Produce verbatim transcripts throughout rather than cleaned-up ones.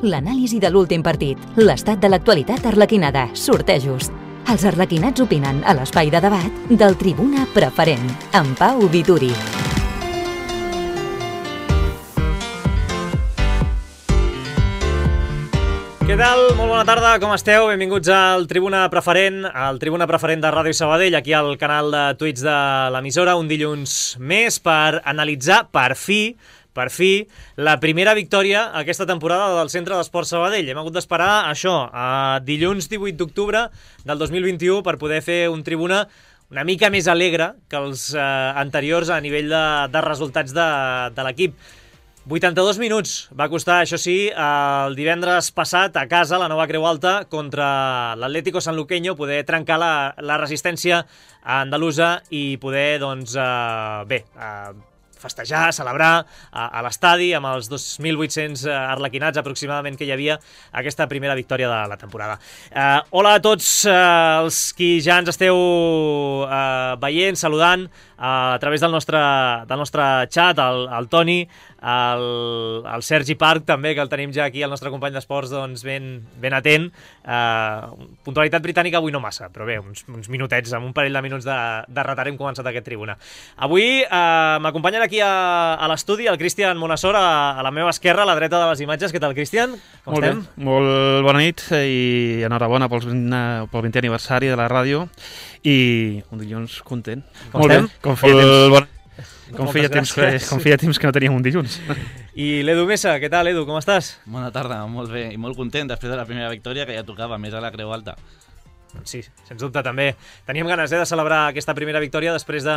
l'anàlisi de l'últim partit, l'estat de l'actualitat arlequinada, sortejos. Els arlequinats opinen a l'espai de debat del Tribuna Preferent, amb Pau Vituri. Què tal? Molt bona tarda, com esteu? Benvinguts al Tribuna Preferent, al Tribuna Preferent de Ràdio Sabadell, aquí al canal de Twitch de l'emissora, un dilluns més per analitzar, per fi, per fi, la primera victòria aquesta temporada del Centre d'Esports Sabadell. Hem hagut d'esperar això, a dilluns divuit d'octubre del dos mil vint-i-u per poder fer un Tribuna una mica més alegre que els eh, anteriors a nivell de, de resultats de, de l'equip. vuitanta-dos minuts va costar, això sí, el divendres passat a casa, la Nova Creu Alta, contra l'Atlético Sanluqueño, poder trencar la, la resistència andalusa i poder, doncs, eh, bé, eh, festejar, celebrar a, a l'estadi amb els dos mil vuit-cents arlequinats aproximadament que hi havia aquesta primera victòria de la temporada. Eh, hola a tots eh, els qui ja ens esteu eh, veient, saludant a través del nostre, del nostre xat, el, el Toni, el, el Sergi Parc també, que el tenim ja aquí, el nostre company d'esports, doncs ben, ben atent. Uh, puntualitat britànica avui no massa, però bé, uns, uns minutets, amb un parell de minuts de, de retard hem començat aquest Tribuna. Avui uh, m'acompanyen aquí a, a l'estudi el Cristian Monassor, a, a la meva esquerra, a la dreta de les imatges. Què tal, Cristian? Com molt estem? Bé, molt bona nit i enhorabona pel vintè aniversari de la ràdio i un dilluns content. Com molt estem? Bé, com feia temps, bon... com, feia temps que, gràcies. com feia temps que no teníem un dilluns. I l'Edu Mesa, què tal, Edu? Com estàs? Bona tarda, molt bé i molt content després de la primera victòria que ja tocava, més a la Creu Alta. Sí, sens dubte també. Teníem ganes eh, de celebrar aquesta primera victòria després de,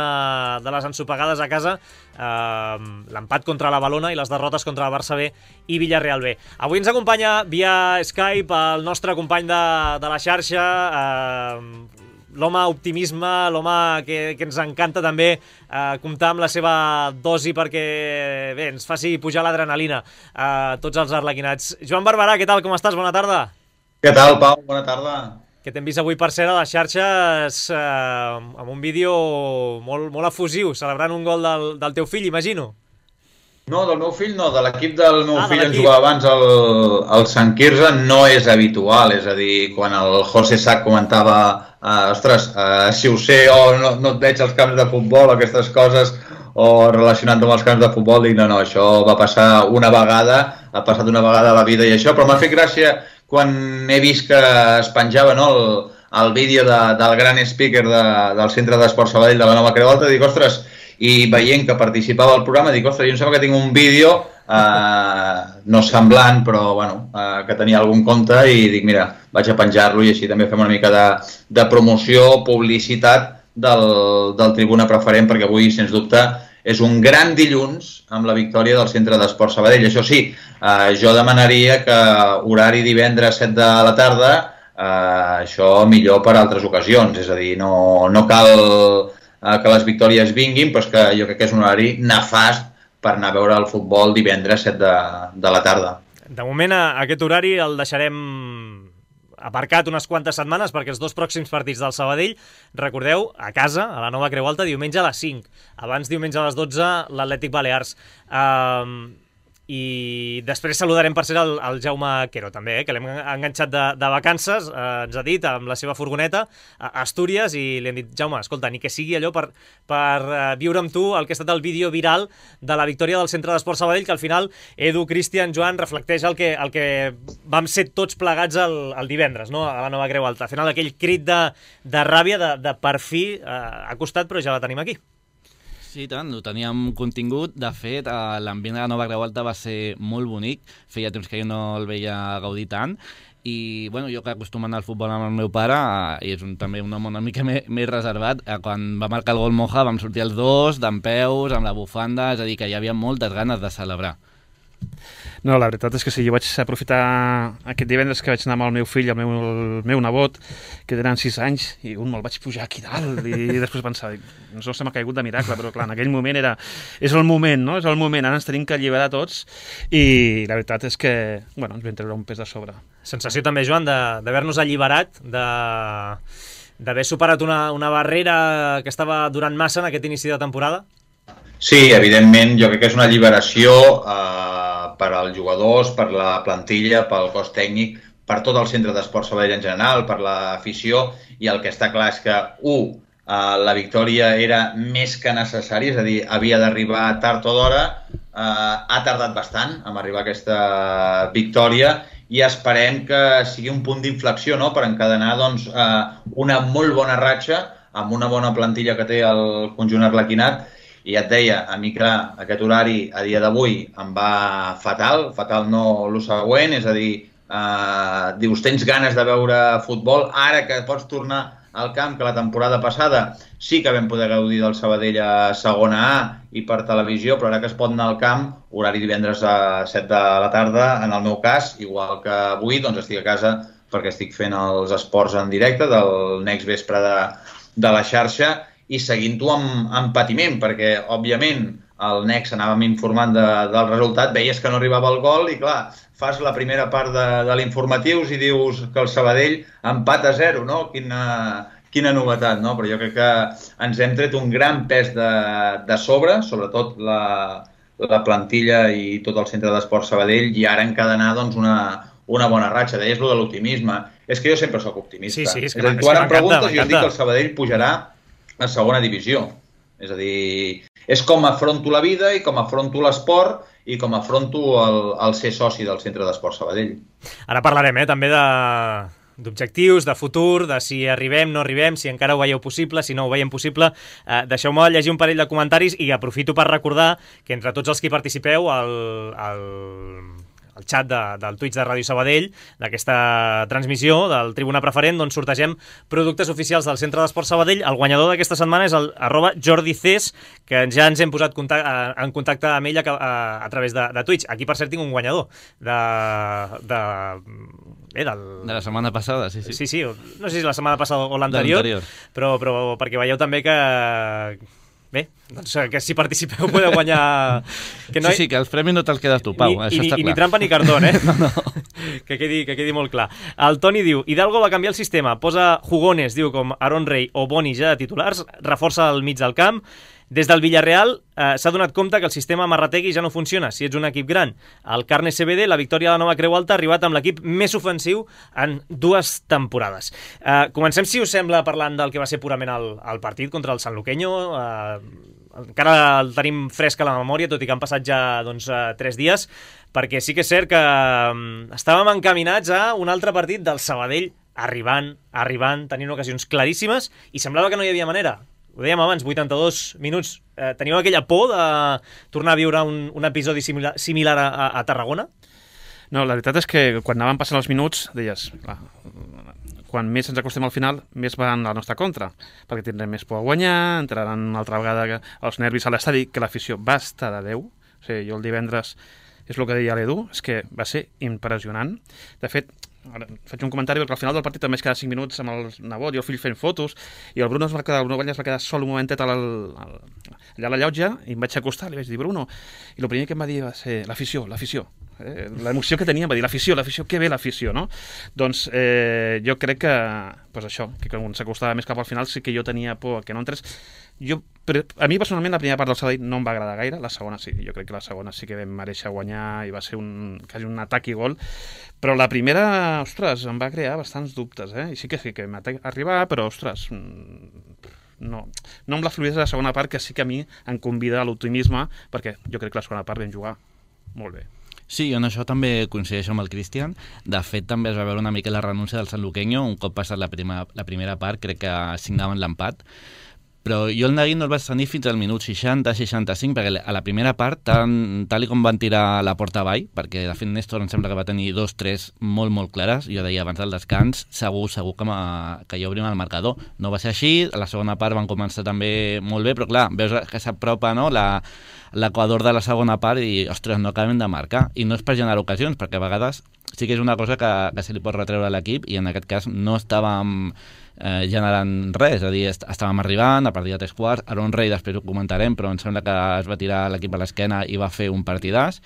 de les ensopegades a casa, eh, l'empat contra la Valona i les derrotes contra el Barça B i Villarreal B. Avui ens acompanya via Skype el nostre company de, de la xarxa, eh, l'home optimisme, l'home que, que ens encanta també eh, comptar amb la seva dosi perquè bé, ens faci pujar l'adrenalina a tots els arlequinats. Joan Barberà, què tal? Com estàs? Bona tarda. Què tal, Pau? Bona tarda. Que t'hem vist avui, per cert, a les xarxes eh, amb un vídeo molt, molt efusiu, celebrant un gol del, del teu fill, imagino. No, del meu fill no, de l'equip del meu ah, fill en jugava abans el, el Sant Quirze, no és habitual, és a dir, quan el José Sac comentava eh, ostres, eh, si ho sé o no, no et veig als camps de futbol, aquestes coses, o relacionant-ho amb els camps de futbol, dic no, no, això va passar una vegada, ha passat una vegada a la vida i això, però m'ha fet gràcia quan he vist que es penjava no, el, el vídeo de, del gran speaker de, del Centre d'Esports Sabadell de la Nova Creu Alta, dic, ostres, i veient que participava al programa, dic, ostres, jo em sembla que tinc un vídeo eh, no semblant, però bueno, eh, que tenia algun compte i dic, mira, vaig a penjar-lo i així també fem una mica de, de promoció, publicitat del, del Tribuna Preferent, perquè avui, sens dubte, és un gran dilluns amb la victòria del Centre d'Esports Sabadell. Això sí, eh, jo demanaria que horari divendres set de la tarda, eh, això millor per altres ocasions, és a dir, no, no cal eh, que les victòries vinguin, però és que jo crec que és un horari nefast per anar a veure el futbol divendres set de, de la tarda. De moment, aquest horari el deixarem aparcat unes quantes setmanes perquè els dos pròxims partits del Sabadell, recordeu, a casa, a la Nova Creu Alta, diumenge a les cinc. Abans, diumenge a les dotze, l'Atlètic Balears. Um, I després saludarem, per ser el, el Jaume Quero, també, eh, que l'hem enganxat de, de vacances, eh, ens ha dit, amb la seva furgoneta, a Astúries, i li hem dit, Jaume, escolta, ni que sigui allò per, per uh, viure amb tu el que ha estat el vídeo viral de la victòria del Centre d'Esports Sabadell, que al final, Edu, Cristian, Joan, reflecteix el que, el que vam ser tots plegats el, el divendres, no?, a la Nova Creu Alta. Al final, aquell crit de, de ràbia, de, de per fi, eh, ha costat, però ja la tenim aquí. Sí, tant, ho teníem contingut. De fet, l'ambient de la Nova Creu Alta va ser molt bonic. Feia temps que jo no el veia gaudir tant. I bueno, jo que acostumo a anar al futbol amb el meu pare, i és un, també un home una mica més, més reservat, quan va marcar el gol Moja vam sortir els dos, dempeus, amb la bufanda, és a dir, que hi havia moltes ganes de celebrar. No, la veritat és que sí, jo vaig aprofitar aquest divendres que vaig anar amb el meu fill, el meu, el meu nebot, que tenen sis anys, i un me'l vaig pujar aquí dalt, i després pensava, no se m'ha caigut de miracle, però clar, en aquell moment era... És el moment, no? És el moment, ara ens tenim que alliberar tots, i la veritat és que, bueno, ens vam treure un pes de sobre. Sensació també, Joan, d'haver-nos alliberat, de... d'haver superat una, una barrera que estava durant massa en aquest inici de temporada? Sí, evidentment, jo crec que és una alliberació eh, per als jugadors, per la plantilla, pel cos tècnic, per tot el centre d'esport Sabadell en general, per l'afició, i el que està clar és que, u, Uh, la victòria era més que necessària, és a dir, havia d'arribar tard o d'hora, uh, ha tardat bastant en arribar a aquesta victòria i esperem que sigui un punt d'inflexió, no?, per encadenar doncs, uh, una molt bona ratxa amb una bona plantilla que té el conjunt arlequinat. I ja et deia, a mi, clar, aquest horari a dia d'avui em va fatal, fatal no el següent, és a dir, uh, dius, tens ganes de veure futbol, ara que pots tornar al camp, que la temporada passada sí que vam poder gaudir del Sabadell a segona A i per televisió, però ara que es pot anar al camp, horari divendres a set de la tarda, en el meu cas, igual que avui, doncs estic a casa perquè estic fent els esports en directe del Next Vespre de, de la xarxa i seguint-ho amb, amb patiment, perquè, òbviament, el Next anàvem informant de, del resultat, veies que no arribava el gol i, clar, fas la primera part de, de l'informatius i dius que el Sabadell empat a zero, no? Quina, quina novetat, no? Però jo crec que ens hem tret un gran pes de, de sobre, sobretot la, la plantilla i tot el centre d'esport Sabadell, i ara encadenar doncs, una, una bona ratxa. Deies lo de l'optimisme. És que jo sempre sóc optimista. Sí, sí, és que, és a dir, tu ara em preguntes i jo dic que el Sabadell pujarà a segona divisió. És a dir, és com afronto la vida i com afronto l'esport i com afronto el, el ser soci del Centre d'Esport Sabadell. Ara parlarem eh, també de d'objectius, de futur, de si arribem, no arribem, si encara ho veieu possible, si no ho veiem possible. Eh, Deixeu-me llegir un parell de comentaris i aprofito per recordar que entre tots els que participeu al, al, al xat de, del Twitch de Ràdio Sabadell, d'aquesta transmissió del Tribuna Preferent, doncs sortegem productes oficials del Centre d'Esport Sabadell. El guanyador d'aquesta setmana és el arroba Jordi Cés, que ja ens hem posat contacte, en contacte amb ell a, a, a través de, de Twitch. Aquí, per cert, tinc un guanyador de... de Eh, del... de la setmana passada, sí, sí. Sí, sí, no sé si la setmana passada o l'anterior, però, però perquè veieu també que... Bé, doncs que si participeu podeu guanyar... Que no sí, sí, que els premis no te'ls quedes tu, Pau, ni, això i, està i clar. ni trampa ni cartón, eh? no, no. Que quedi, que quedi molt clar. El Toni diu, Hidalgo va canviar el sistema, posa jugones, diu, com Aaron Rey o Boni ja de titulars, reforça el mig del camp. Des del Villarreal eh, s'ha donat compte que el sistema Marrategui ja no funciona si ets un equip gran. El Carne C B D, la victòria de la Nova Creu Alta, ha arribat amb l'equip més ofensiu en dues temporades. Eh, comencem, si us sembla, parlant del que va ser purament el, el partit contra el Sanluqueño. Eh, encara el tenim fresc a la memòria, tot i que han passat ja doncs, eh, tres dies, perquè sí que és cert que eh, estàvem encaminats a un altre partit del Sabadell arribant, arribant, tenint ocasions claríssimes, i semblava que no hi havia manera. Ho dèiem abans, vuitanta-dos minuts. Eh, teníeu aquella por de tornar a viure un, un episodi similar, similar a, a Tarragona? No, la veritat és que quan anaven passant els minuts, deies, clar, quan més ens acostem al final, més van a la nostra contra, perquè tindrem més por a guanyar, entraran una altra vegada els nervis a l'estadi, que l'afició va estar de Déu. O sigui, jo el divendres, és el que deia l'Edu, és que va ser impressionant. De fet, ara faig un comentari perquè al final del partit també es quedava cinc minuts amb el nebot i el fill fent fotos i el Bruno es va quedar, el Bruno Banyes va quedar sol un momentet al, al, allà a la llotja i em vaig acostar i li vaig dir Bruno, i el primer que em va dir va ser l'afició, l'afició eh? l'emoció que tenia, em va dir l'afició, l'afició, que bé l'afició, no? Doncs eh, jo crec que, pues això, que quan s'acostava més cap al final sí que jo tenia por que no entrés. Jo, a mi personalment la primera part del Sabadell no em va agradar gaire, la segona sí, jo crec que la segona sí que vam mereixer guanyar i va ser un, quasi un atac i gol, però la primera, ostres, em va crear bastants dubtes, eh? I sí que sí que m'ha arribat, però ostres, no, no amb la fluïdesa de la segona part, que sí que a mi em convida a l'optimisme, perquè jo crec que la segona part vam jugar molt bé. Sí, jo en això també coincideixo amb el Cristian. De fet, també es va veure una mica la renúncia del Sanluqueño, un cop passat la, prima, la primera part, crec que signaven l'empat. Però jo el neguit no el vaig tenir fins al minut seixanta seixanta-cinc, perquè a la primera part, tant, tal com van tirar la porta avall, perquè de fet Néstor em sembla que va tenir dos, tres molt, molt clares, jo deia abans del descans, segur, segur que, que hi obrim el marcador. No va ser així, a la segona part van començar també molt bé, però clar, veus que s'apropa, no?, la, l'equador de la segona part i, ostres, no acabem de marcar. I no és per generar ocasions, perquè a vegades sí que és una cosa que, que se li pot retreure a l'equip i en aquest cas no estàvem eh, generant res, és a dir, est estàvem arribant a partir de tres quarts, Aaron Rey després ho comentarem, però em sembla que es va tirar l'equip a l'esquena i va fer un partidàs,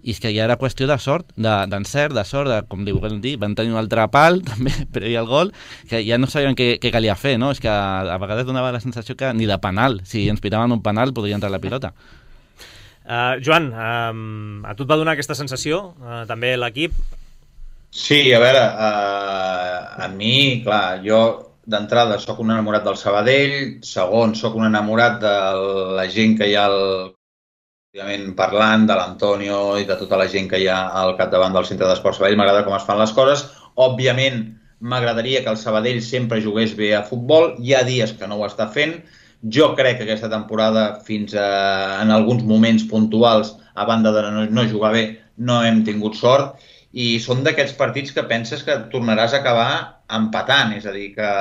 i és que ja era qüestió de sort, d'encert, de, de sort, de, com li vulguem dir, van tenir un altre pal també per i el gol, que ja no sabien què, què calia fer, no? És que a, a vegades donava la sensació que ni de penal, si ens pitaven un penal podria entrar la pilota. Uh, Joan, uh, a tu et va donar aquesta sensació, uh, també l'equip? Sí, a veure, uh, a mi, clar, jo d'entrada sóc un enamorat del Sabadell, segon, sóc un enamorat de la gent que hi ha al, parlant, de l'Antonio i de tota la gent que hi ha al capdavant del Centre d'Esports Sabadell. M'agrada com es fan les coses. Òbviament, m'agradaria que el Sabadell sempre jugués bé a futbol. Hi ha dies que no ho està fent. Jo crec que aquesta temporada, fins a, en alguns moments puntuals, a banda de no, no jugar bé, no hem tingut sort. I són d'aquests partits que penses que tornaràs a acabar empatant. És a dir, que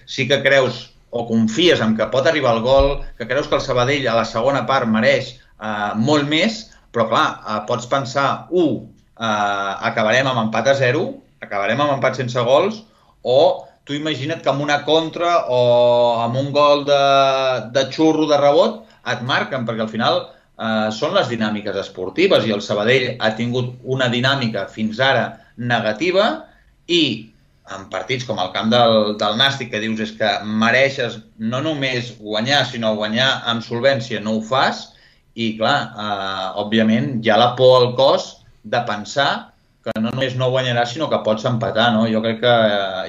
sí que creus o confies en que pot arribar el gol, que creus que el Sabadell a la segona part mereix uh, molt més, però clar, uh, pots pensar, u, uh, acabarem amb empat a zero, acabarem amb empat sense gols, o tu imagina't que amb una contra o amb un gol de, de xurro de rebot et marquen, perquè al final eh, són les dinàmiques esportives i el Sabadell ha tingut una dinàmica fins ara negativa i en partits com el camp del, del Nàstic, que dius és que mereixes no només guanyar, sinó guanyar amb solvència, no ho fas i clar, eh, òbviament hi ha la por al cos de pensar que no només no guanyaràs, sinó que pots empatar, no? Jo crec que,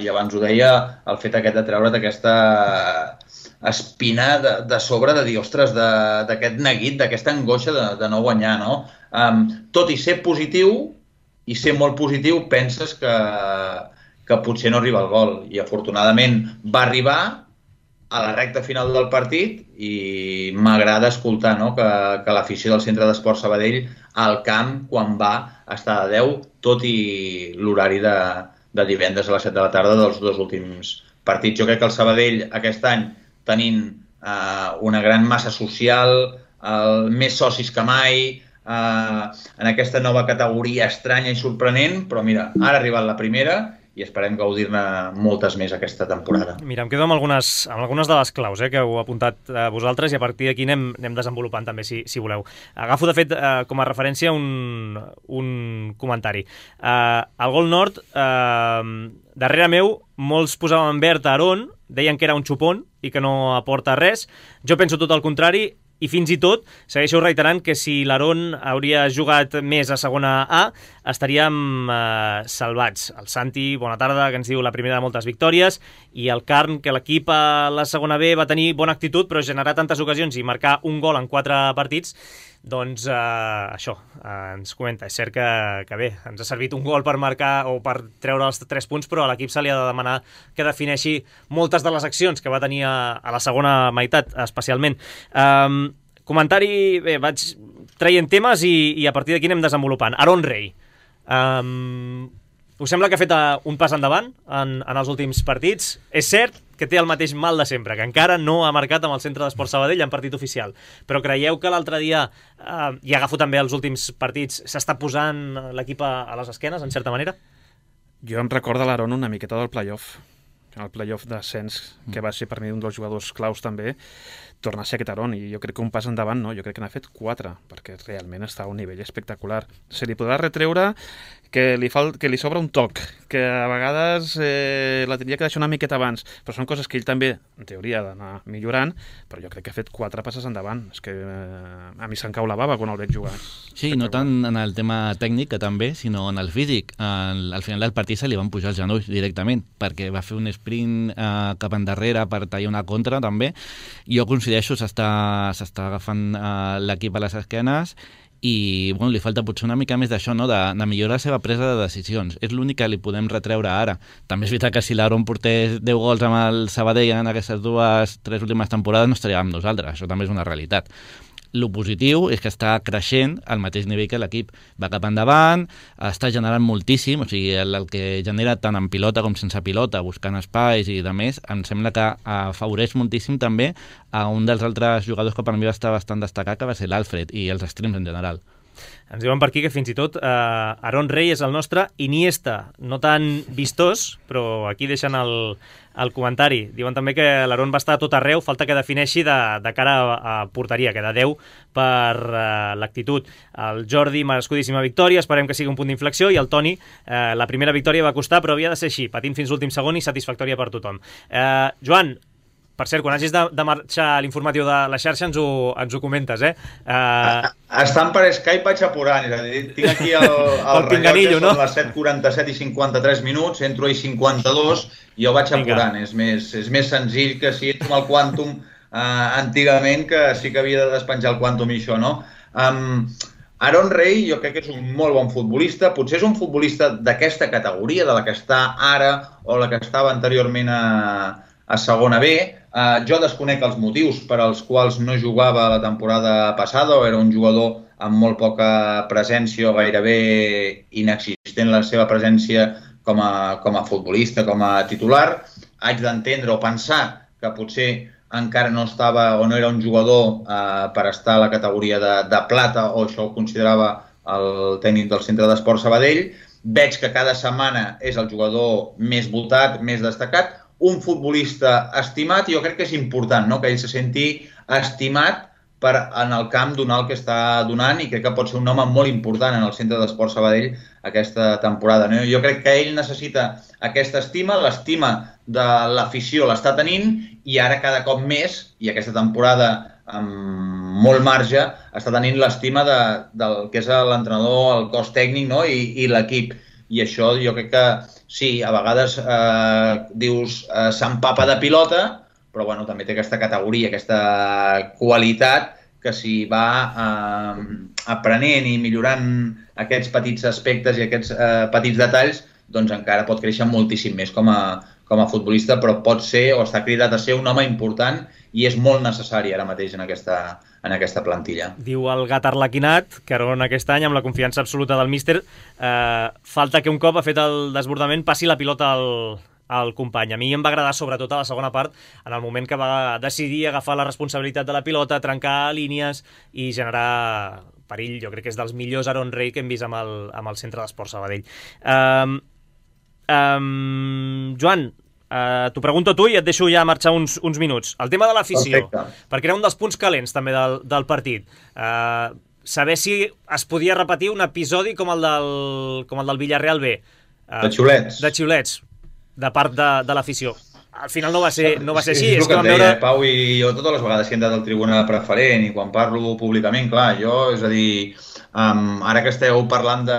i abans ho deia, el fet aquest de treure't aquesta espina de, de sobre, de dir, ostres, d'aquest neguit, d'aquesta angoixa de, de no guanyar, no? Um, tot i ser positiu, i ser molt positiu, penses que, que potser no arriba el gol. I afortunadament va arribar a la recta final del partit i m'agrada escoltar, no? que, que l'afició del Centre d'Esports Sabadell al camp, quan va, està a deu, tot i l'horari de, de divendres a les set de la tarda dels dos últims partits. Jo crec que el Sabadell aquest any, tenint eh, una gran massa social, eh, més socis que mai, eh, en aquesta nova categoria estranya i sorprenent, però mira, ara ha arribat la primera i esperem gaudir-ne moltes més aquesta temporada. Mira, em quedo amb algunes, amb algunes de les claus eh, que heu apuntat eh, vosaltres i a partir d'aquí anem, anem desenvolupant també, si, si voleu. Agafo, de fet, eh, com a referència un, un comentari. Eh, al Gol Nord, eh, darrere meu, molts posaven en verd a Aarón, deien que era un xupón i que no aporta res. Jo penso tot el contrari, i fins i tot segueixo reiterant que si l'Aarón hauria jugat més a segona A, estaríem eh, salvats. El Santi, bona tarda, que ens diu la primera de moltes victòries, i el Carn, que l'equip a la segona B va tenir bona actitud, però generar tantes ocasions i marcar un gol en quatre partits, doncs eh, això, eh, ens comenta. És cert que, que bé, ens ha servit un gol per marcar o per treure els tres punts, però a l'equip se li ha de demanar que defineixi moltes de les accions que va tenir a, a la segona meitat, especialment. Um, comentari, bé, vaig traient temes i, i a partir d'aquí anem desenvolupant. Aarón Rey. Um, us sembla que ha fet un pas endavant en, en els últims partits? És cert que té el mateix mal de sempre, que encara no ha marcat amb el Centre d'Esports Sabadell en partit oficial. Però creieu que l'altre dia, eh, i agafo també els últims partits, s'està posant l'equip a, a les esquenes, en certa manera? Jo em recordo l'Aarón una miqueta del play-off, el play-off d'ascens, que va ser per mi un dels jugadors claus també, torna a ser aquest Aarón, i jo crec que un pas endavant, no, jo crec que n'ha fet quatre, perquè realment està a un nivell espectacular. Se li podrà retreure que li, fal... que li sobra un toc, que a vegades eh, la tindria que deixar una miqueta abans, però són coses que ell també, en teoria, ha d'anar millorant, però jo crec que ha fet quatre passes endavant. És que eh, a mi se'm cau la bava quan el veig jugar. Sí, no tant en el tema tècnic, que també, sinó en el físic. Al, al final del partit se li van pujar els genolls directament, perquè va fer un sprint eh, cap endarrere per tallar una contra, també. Jo coincideixo, s'està agafant eh, l'equip a les esquenes i bueno, li falta potser una mica més d'això, no? de, de millorar la seva presa de decisions. És l'únic que li podem retreure ara. També és veritat que si l'Aarón portés deu gols amb el Sabadell en aquestes dues, tres últimes temporades no estaria amb nosaltres. Això també és una realitat. Lo positiu és que està creixent al mateix nivell que l'equip. Va cap endavant, està generant moltíssim, o sigui, el, el que genera tant en pilota com sense pilota, buscant espais i de més, em sembla que afavoreix moltíssim també a un dels altres jugadors que per mi va estar bastant destacat, que va ser l'Alfred, i els extrems en general. Ens diuen per aquí que fins i tot eh, Aarón Rey és el nostre Iniesta, no tan vistós, però aquí deixen el, el comentari. Diuen també que l'Aarón va estar a tot arreu, falta que defineixi de, de cara a, a porteria, que de deu per eh, l'actitud. El Jordi, merescudíssima victòria, esperem que sigui un punt d'inflexió, i el Toni, eh, la primera victòria va costar, però havia de ser així, patint fins l'últim segon i satisfactòria per tothom. Eh, Joan, per cert, quan hagis de, de marxar a l'informatiu de la xarxa ens ho, ens ho comentes, eh? Uh... Estan per Skype vaig apurant, és a dir, tinc aquí el, el, el rellotge, no? Són les set quaranta-set i cinquanta-tres minuts, entro a cinquanta-dos i jo vaig apurant, és més, és més senzill que si entro amb el Quantum uh, antigament, que sí que havia de despenjar el Quantum i això, no? Um, Aaron Rey jo crec que és un molt bon futbolista, potser és un futbolista d'aquesta categoria, de la que està ara o la que estava anteriorment a, a segona B. Uh, jo desconec els motius per als quals no jugava la temporada passada o era un jugador amb molt poca presència o gairebé inexistent la seva presència com a, com a futbolista, com a titular. Haig d'entendre o pensar que potser encara no estava o no era un jugador eh, per estar a la categoria de, de plata, o això ho considerava el tècnic del Centre d'Esport Sabadell. Veig que cada setmana és el jugador més votat, més destacat, un futbolista estimat, i jo crec que és important, no?, que ell se senti estimat per en el camp donar el que està donant, i crec que pot ser un home molt important en el Centre d'Esport Sabadell aquesta temporada, no? Jo crec que ell necessita aquesta estima, l'estima de l'afició l'està tenint, i ara cada cop més, i aquesta temporada amb molt marge, està tenint l'estima de, del que és l'entrenador, el cos tècnic, no?, i, i l'equip. I això jo crec que sí, a vegades eh, dius eh, s'empapa de pilota, però bueno, també té aquesta categoria, aquesta qualitat, que si va eh, aprenent i millorant aquests petits aspectes i aquests eh, petits detalls, doncs encara pot créixer moltíssim més com a, com a futbolista, però pot ser o està cridat a ser un home important i és molt necessari ara mateix en aquesta, en aquesta plantilla. Diu el gat arlequinat que Aaron aquest any, amb la confiança absoluta del míster, eh, falta que un cop ha fet el desbordament passi la pilota al, al company. A mi em va agradar sobretot a la segona part, en el moment que va decidir agafar la responsabilitat de la pilota, trencar línies i generar perill. Jo crec que és dels millors Aaron Rey que hem vist amb el, amb el Centre d'Esport Sabadell. Um, um, Joan, uh, t'ho pregunto a tu i et deixo ja marxar uns, uns minuts. El tema de l'afició, perquè era un dels punts calents també del, del partit. Uh, saber si es podia repetir un episodi com el del, com el del Villarreal B. Uh, de xiulets. De xiulets, de part de, de l'afició. Al final no va ser, no va ser així. És, és el que et deia, veure... Pau, i jo totes les vegades que he entrat al tribuna preferent i quan parlo públicament, clar, jo, és a dir, um, ara que esteu parlant de...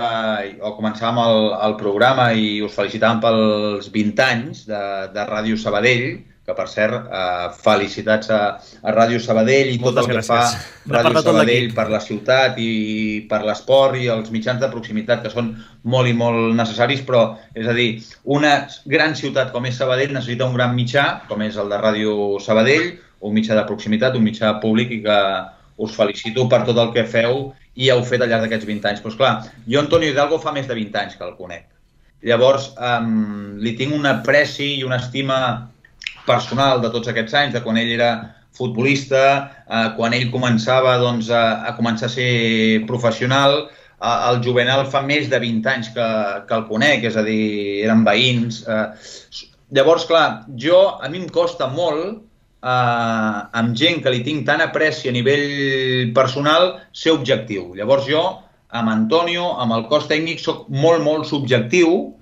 o començàvem el, el programa i us felicitàvem pels vint anys de, de Ràdio Sabadell, que per cert, uh, felicitats a, a Ràdio Sabadell i Moltes tot el gràcies. que fa Ràdio Sabadell per la ciutat i per l'esport i els mitjans de proximitat, que són molt i molt necessaris, però, és a dir, una gran ciutat com és Sabadell necessita un gran mitjà, com és el de Ràdio Sabadell, un mitjà de proximitat, un mitjà públic, i que us felicito per tot el que feu i heu fet al llarg d'aquests vint anys. Però, esclar, jo Antonio Hidalgo fa més de vint anys que el conec. Llavors, um, li tinc una apreci i una estima personal de tots aquests anys, de quan ell era futbolista, eh, quan ell començava doncs, a, a començar a ser professional. Eh, el Juvenal fa més de vint anys que, que el conec, és a dir, eren veïns. Eh. Llavors, clar, jo, a mi em costa molt, eh, amb gent que li tinc tant apreci a nivell personal, ser objectiu. Llavors jo, amb Antonio, amb el cos tècnic, soc molt, molt subjectiu,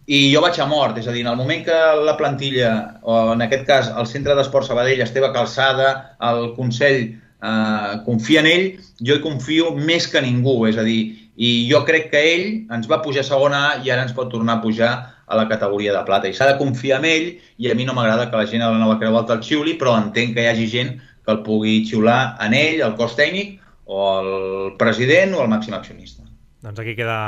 i jo vaig a mort, és a dir, en el moment que la plantilla, o en aquest cas el Centre d'Esport Sabadell, Esteve Calçada, el Consell, eh, confia en ell, jo hi confio més que ningú, és a dir, i jo crec que ell ens va pujar a segona A i ara ens pot tornar a pujar a la categoria de plata, i s'ha de confiar en ell, i a mi no m'agrada que la gent a la Nova Creu Alta el xiuli, però entenc que hi hagi gent que el pugui xiular en ell, el cos tècnic, o el president, o el màxim accionista. Doncs aquí queda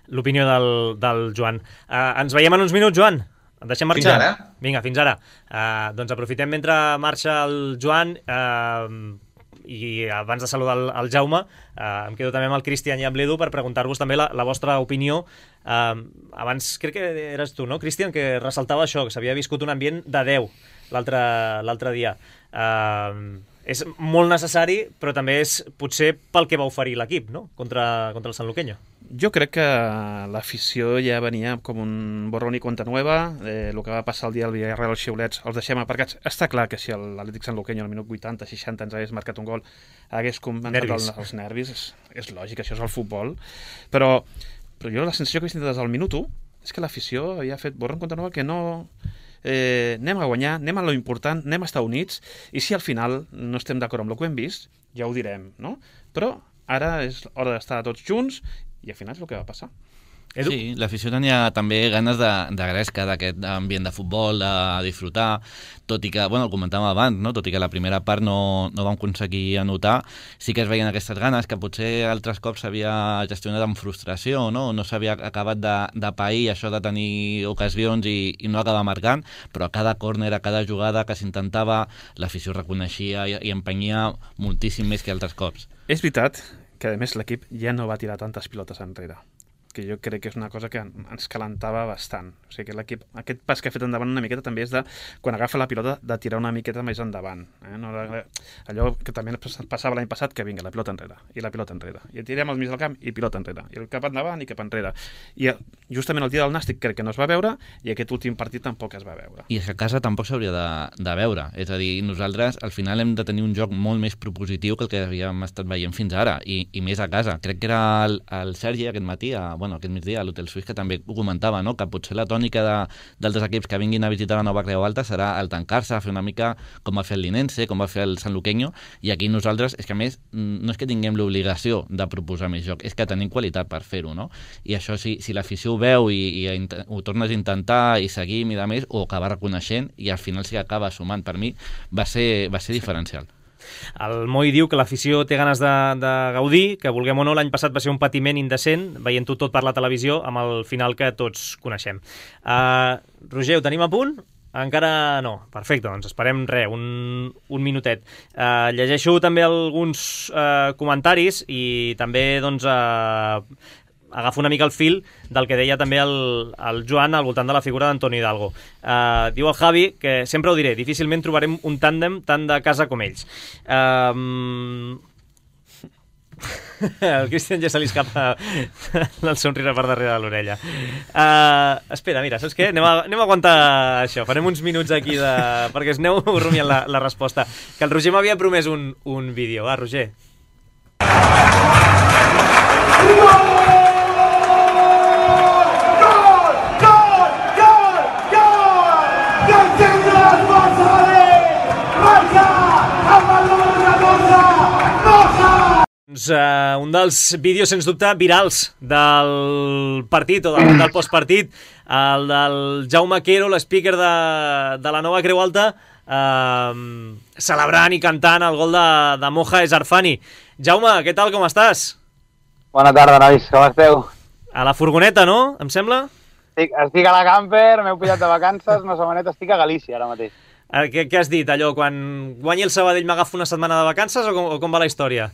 l'opinió del, del Joan. Uh, ens veiem en uns minuts, Joan. Et deixem marxar? Fins ara. Vinga, fins ara. Uh, doncs aprofitem mentre marxa el Joan uh, i abans de saludar el, el Jaume, uh, em quedo també amb el Cristian i amb l'Edu per preguntar-vos també la, la vostra opinió. Uh, abans crec que eres tu, no, Cristian, que ressaltava això, que s'havia viscut un ambient de deu l'altre dia. Uh, és molt necessari, però també és potser pel que va oferir l'equip, no?, contra, contra el Sanluqueño. Jo crec que l'afició ja venia com un borrón i cuenta nueva. Eh, el que va passar el dia del Villarreal als xiulets els deixem aparcats. Està clar que si l'Atlètic Sanluqueño al minut vuitanta seixanta ens hagués marcat un gol hagués comentat el, els nervis. És, és lògic, això és el futbol. Però, però jo la sensació que he sentit des del minut u és que l'afició havia fet borrón i cuenta nueva, que no... eh, anem a guanyar, anem a lo important, anem a estar units, i si al final no estem d'acord amb el que hem vist, ja ho direm, no? Però ara és hora d'estar tots junts i al final és el que va passar. Edu? Sí, l'afició tenia també ganes de, de gresca, d'aquest ambient de futbol, de disfrutar, tot i que, bueno, el comentàvem abans, no? Tot i que la primera part no, no vam aconseguir anotar, sí que es veien aquestes ganes, que potser altres cops s'havia gestionat amb frustració, no? No s'havia acabat de, de pair això de tenir ocasions i, i no acabar marcant, però a cada córner, a cada jugada que s'intentava, l'afició reconeixia i, i empenyia moltíssim més que altres cops. És veritat que, a més, l'equip ja no va tirar tantes pilotes enrere, que jo crec que és una cosa que ens calentava bastant. O sigui que l'equip, aquest pas que ha fet endavant una miqueta també és de, quan agafa la pilota, de tirar una miqueta més endavant. Eh? No, allò que també passava l'any passat, que vinga, la pilota enrere, i la pilota enrere, i tirem al mig del camp, i pilota enrere, i el cap endavant i cap enrere. I justament el dia del Nàstic crec que no es va veure, i aquest últim partit tampoc es va veure. I és que a casa tampoc s'hauria de, de veure. És a dir, nosaltres al final hem de tenir un joc molt més propositiu que el que havíem estat veient fins ara, i, i més a casa. Crec que era el, el Sergi aquest matí, a, bueno, aquest migdia a l'Hotel Suís, que també ho comentava, no? Que potser la tònica d'altres equips que vinguin a visitar la Nova Creu Alta serà el tancar-se, fer una mica com va fer el Linense, com va fer el Sant Luqueño, i aquí nosaltres, és que a més, no és que tinguem l'obligació de proposar més joc, és que tenim qualitat per fer-ho, no? I això, si, si l'afició ho veu i, i ho tornes a intentar i seguim i de més, ho acaba reconeixent i al final sí que acaba sumant. Per mi va ser, va ser diferencial. El Moi diu que l'afició té ganes de, de gaudir, que vulguem o no, l'any passat va ser un patiment indecent, veient-ho tot per la televisió, amb el final que tots coneixem. Uh, Roger, ho tenim a punt? Encara no. Perfecte, doncs esperem res, un, un minutet. Uh, llegeixo també alguns uh, comentaris i també doncs, uh, agafo una mica el fil del que deia també el, el Joan al voltant de la figura d'Antoni Hidalgo. Uh, diu el Javi, que sempre ho diré, difícilment trobarem un tàndem tant de casa com ells. Uh, el Cristian ja se li escapa el somriure per darrere de l'orella. Uh, espera, mira, saps què? Anem a, anem a aguantar això, farem uns minuts aquí de... perquè es aneu rumiant la, la resposta. Que el Roger m'havia promès un, un vídeo. Va, Roger. Doncs uh, un dels vídeos, sens dubte, virals del partit o del, del postpartit, el del Jaume Quero, l'speaker de, de la Nova Creu Alta, uh, celebrant i cantant el gol de, de Moja Esarfani. Jaume, què tal, com estàs? Bona tarda, nois, com esteu? A la furgoneta, no? Em sembla? Estic, estic a la camper, m'heu pillat de vacances, una setmaneta, estic a Galícia ara mateix. Uh, què, què has dit, allò? Quan guanyi el Sabadell m'agafo una setmana de vacances o com, o com va la història?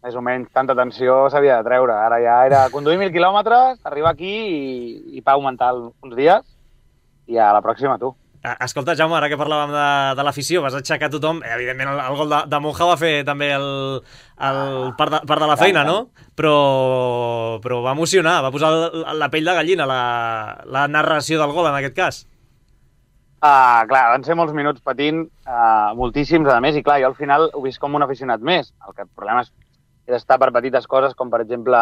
Més o menys, tanta tensió s'havia de treure. Ara ja era conduir mil quilòmetres, arribar aquí i, i pagar mental uns dies i a la pròxima tu. Escolta, Jaume, ara que parlàvem de, de l'afició, vas aixecar tothom. Evidentment, el, el gol de, de Moja va fer també el, el part, de, part de la feina, no? Però, però va emocionar, va posar la, la pell de gallina, la, la narració del gol, en aquest cas. Ah, clar, van ser molts minuts patint, uh, moltíssims, a més, i clar, jo al final ho vist com un aficionat més. El, que, el problema és d'estar per petites coses, com per exemple,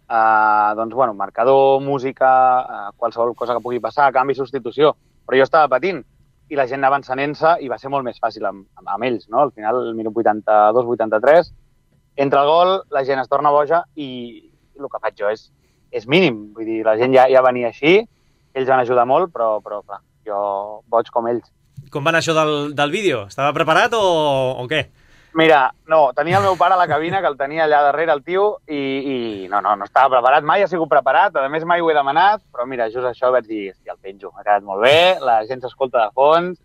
eh, doncs, bueno, marcador, música, eh, qualsevol cosa que pugui passar, canvi, substitució. Però jo estava patint i la gent anava encenent-se i va ser molt més fàcil amb, amb, amb ells, no? Al final, el minut vuitanta-dos vuitanta-tres, entre el gol, la gent es torna boja i, i el que faig jo és, és mínim. Vull dir, la gent ja, ja venia així, ells van ajudar molt, però, però clar, jo boig com ells. Com va anar això del, del vídeo? Estava preparat o, o què? Mira, no, tenia el meu pare a la cabina, que el tenia allà darrere, el tio, i, i no, no, no estava preparat, mai ha sigut preparat, a més mai ho he demanat, però mira, just això vaig dir, hòstia, el penjo, ha quedat molt bé, la gent s'escolta de fons,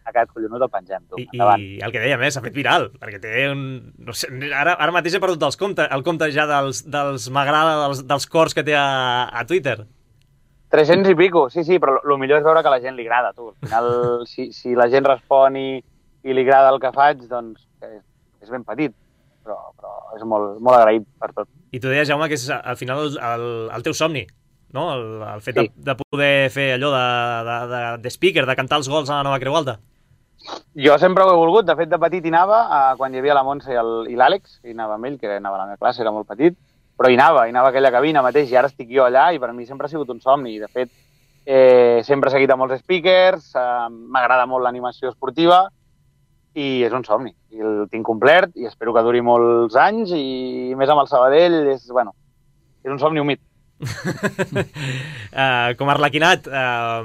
ha quedat collonut, el pengem, tu, I, endavant. I el que deia més, s'ha fet viral, perquè té un... No sé, ara, ara mateix he perdut els compte, el compte ja dels, dels m'agrada, dels, dels cors que té a, a Twitter. tres-cents i pico, sí, sí, però el millor és veure que a la gent li agrada, tu. Al final, si, si la gent respon i, i li agrada el que faig, doncs és, és ben petit, però, però és molt, molt agraït per tot. I tu deies, Jaume, que és al final el, el, el teu somni, no? El, el fet sí. de, de poder fer allò de, de, de, de speaker, de cantar els gols a la Nova Creu Alta. Jo sempre ho he volgut, de fet de petit hi anava, eh, quan hi havia la Montse i l'Àlex, hi anava amb ell, que anava a la meva classe, era molt petit, però hi anava, hi anava a aquella cabina mateix, i ara estic jo allà, i per mi sempre ha sigut un somni, i de fet, eh, sempre he seguit a molts speakers, eh, m'agrada molt l'animació esportiva i és un somni. I el tinc complert i espero que duri molts anys i més amb el Sabadell és, bueno, és un somni humit. uh, com a Arlequinat, uh,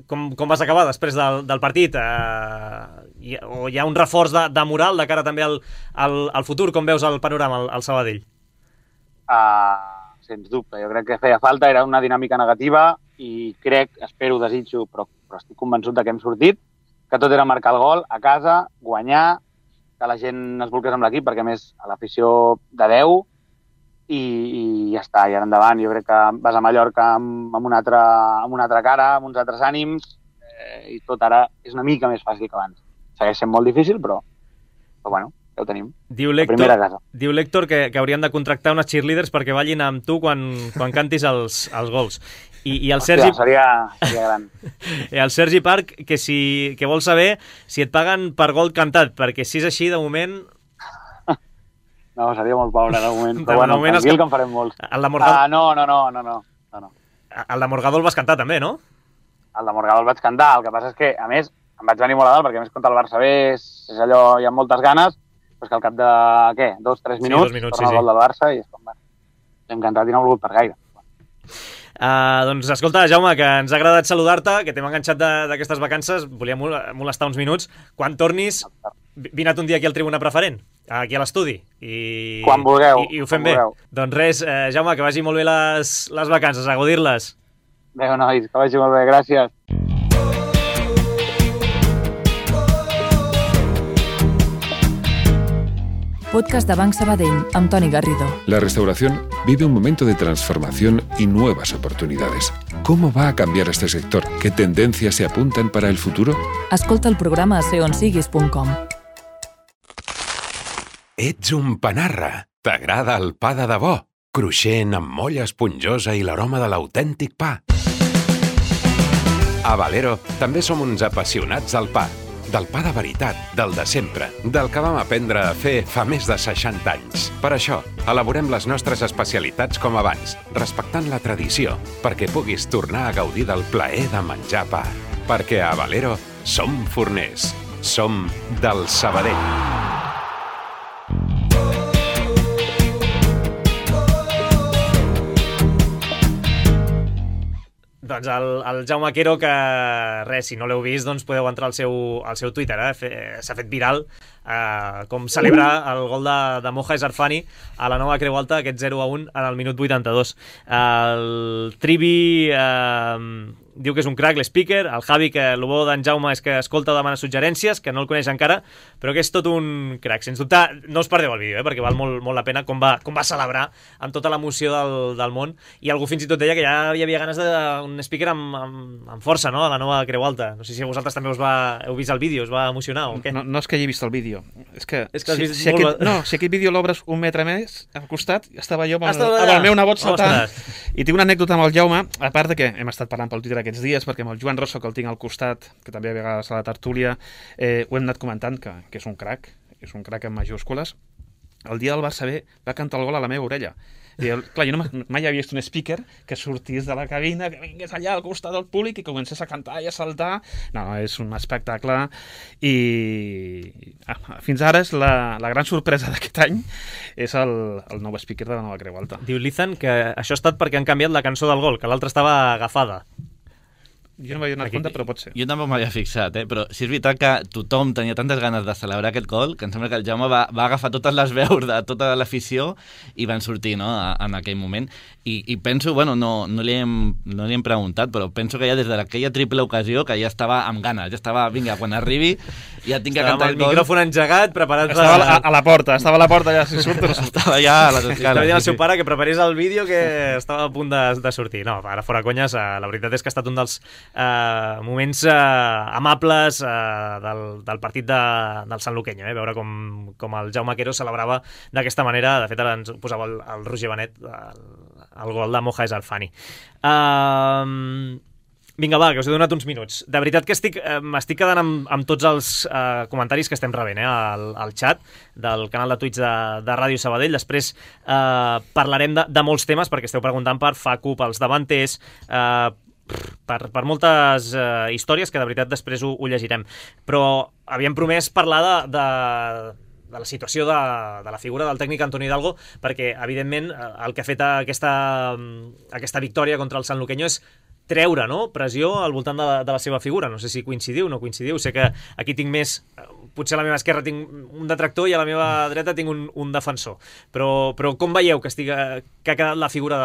com, com vas acabar després del, del partit? Uh, hi, o hi ha un reforç de, de moral de cara també al, al, al futur? Com veus el panorama al, al Sabadell? Uh, sens dubte, jo crec que feia falta, era una dinàmica negativa i crec, espero, desitjo, però, però estic convençut de que hem sortit, que tot era marcar el gol a casa, guanyar, que la gent es volqués amb l'equip, perquè a més a l'afició de deu, i, i ja està, i ara endavant. Jo crec que vas a Mallorca amb, amb, una, altra, amb una altra cara, amb uns altres ànims, eh, i tot ara és una mica més fàcil que abans. Segueix sent molt difícil, però, però bueno, ja ho tenim. Diu l'Héctor, diu l'Héctor que, que haurien de contractar unes cheerleaders perquè ballin amb tu quan, quan cantis els, els gols. I, i el Sergi... Hòstia, seria, seria gran. El Sergi Parc, que, si, que vol saber si et paguen per gol cantat, perquè si és així, de moment... No, seria molt pobre, de moment. Però bueno, moment tranquil, que... que en farem molts. El de Morgador... Ah, no, no, no, no, no, no, no. El de Morgador el vas cantar també, no? El de Morgador el vaig cantar, el que passa és que, a més, em vaig venir molt a dalt, perquè a més contra el Barça B és, és allò, hi ha moltes ganes, però és que al cap de, què, dos, tres minuts, sí, dos minuts torna sí, el gol sí. del Barça i és com, bueno, l'hem cantat i no ha volgut per gaire. Uh, doncs escolta, Jaume, que ens ha agradat saludar-te, que t'hem enganxat d'aquestes vacances, volia molestar uns minuts. Quan tornis, vina't un dia aquí al Tribuna Preferent, aquí a l'estudi. I, quan vulgueu. I, i ho fem bé. Vulgueu. Doncs res, eh, Jaume, que vagi molt bé les, les vacances, a gaudir-les. Adéu, nois, que vagi molt bé, gràcies. Podcast de Banc Sabadell, amb Toni Garrido. La restauración vive un momento de transformación y nuevas oportunidades. ¿Cómo va a cambiar este sector? ¿Qué tendencias se apuntan para el futuro? Escolta el programa a ser on siguis punt com. Ets un panarra. T'agrada el pa de debò? Cruixent, amb molla esponjosa i l'aroma de l'autèntic pa. A Valero també som uns apassionats del pa. Del pa de veritat, del de sempre, del que vam aprendre a fer fa més de seixanta anys. Per això, elaborem les nostres especialitats com abans, respectant la tradició, perquè puguis tornar a gaudir del plaer de menjar pa. Perquè a Valero som forners, som del Sabadell. Doncs el, el Jaume Quero, que res, si no l'heu vist, doncs podeu entrar al seu, al seu Twitter, eh? S'ha fet viral eh, com celebra el gol de, de Moja Esarfani a la nova Creu Alta, aquest zero a un en el minut vuitanta-dos. El Trivi eh, diu que és un crack, l'speaker. El Javi, que el bo d'en Jaume és que escolta o demana suggerències, que no el coneix encara, però que és tot un crack. Sens dubte, no us perdeu el vídeo, eh, perquè val molt, molt la pena com va, com va celebrar amb tota l'emoció del, del món. I algú fins i tot deia que ja hi havia ganes d'un speaker amb, amb, amb força, no?, a la nova Creu Alta. No sé si vosaltres també us va, heu vist el vídeo, us va emocionar o què? No, no és que hagi vist el vídeo. És que, és que si, si, molt... aquest, no, si aquest vídeo l'obres un metre més al costat, estava jo amb el, amb el meu nebot saltant. I tinc una anècdota amb el Jaume, a part de que hem estat parlant pel Twitter aquests dies, perquè amb el Joan Rosso, que el tinc al costat, que també a vegades a la tertúlia, eh, ho hem anat comentant, que, que és un crack, és un crack en majúscules. El dia del Barça B va cantar el gol a la meva orella. I, clar, jo no, mai havia vist un speaker que sortís de la cabina, que vingués allà al costat del públic i comencés a cantar i a saltar. No, és un espectacle i fins ara és la, la gran sorpresa d'aquest any és el, el nou speaker de la nova Creu Alta. Diu l'Ethan que això ha estat perquè han canviat la cançó del gol, que l'altra estava agafada. Jo no m'havia donat compte, però pot ser. Jo tampoc m'havia fixat, eh? Però si és veritat que tothom tenia tantes ganes de celebrar aquest gol que em sembla que el Jaume va, va agafar totes les veus de tota l'afició i van sortir, no?, en aquell moment. I, i penso, bueno, no, no, li hem, no li hem preguntat, però penso que ja des d'aquella triple ocasió que ja estava amb ganes, ja estava, vinga, quan arribi ja tinc que estava cantar el gol. Estava amb el micròfon engegat, preparat estava per... a, a la porta, estava a la porta ja, si surt. Estava ja a les escales. Estava dient al seu pare que preparés el vídeo que estava a punt de, de sortir. No, ara fora conyes, la veritat és que ha estat un dels eh, moments eh, amables eh, del, del partit de, del Sant Luqueño, eh? Veure com, com el Jaume Quero celebrava d'aquesta manera. De fet, ara ens posava el, el Roger Benet el, el gol de Moja Esarfani. Uh, vinga, va, que us he donat uns minuts. De veritat que estic, eh, m'estic quedant amb, amb tots els eh, comentaris que estem rebent eh, al, al xat del canal de Twitch de, de Ràdio Sabadell. Després eh, parlarem de, de molts temes, perquè esteu preguntant per Facu, pels davanters, eh, per, per moltes uh, històries que de veritat després ho, ho llegirem. Però havíem promès parlar de, de, de la situació de, de la figura del tècnic Antonio Hidalgo, perquè, evidentment, el que ha fet aquesta, aquesta victòria contra el Sanluqueño és treure, no?, pressió al voltant de la, de la seva figura. No sé si coincidiu o no coincidiu. Sé que aquí tinc més... Potser a la meva esquerra tinc un detractor i a la meva dreta tinc un, un defensor. Però, però com veieu que, estiga, que ha quedat la figura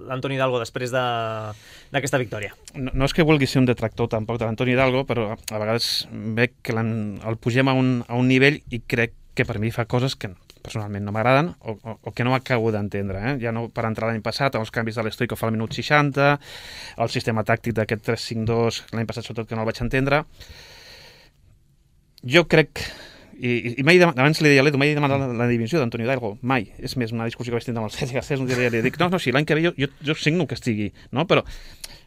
d'Antoni Hidalgo després d'aquesta de, victòria? No, no és que vulgui ser un detractor tampoc de l'Antoni Hidalgo, però a vegades veig que el pugem a un, a un nivell i crec que per mi fa coses que personalment no m'agraden o, o, o que no acabo d'entendre. Eh? Ja no per entrar l'any passat, els canvis de l'Stoico fa al minut seixanta, el sistema tàctic d'aquest tres cinc dos l'any passat sobretot que no el vaig entendre. Jo crec, i, i mai abans li deia a l'Edu, mai he demanat la, la divisió d'Antoni Hidalgo, mai. És més, una discussió que vaig tindre amb el Cesc Garcés, un dia li dic, no, no, sí, l'any que ve jo, jo, jo signo que estigui, no? Però,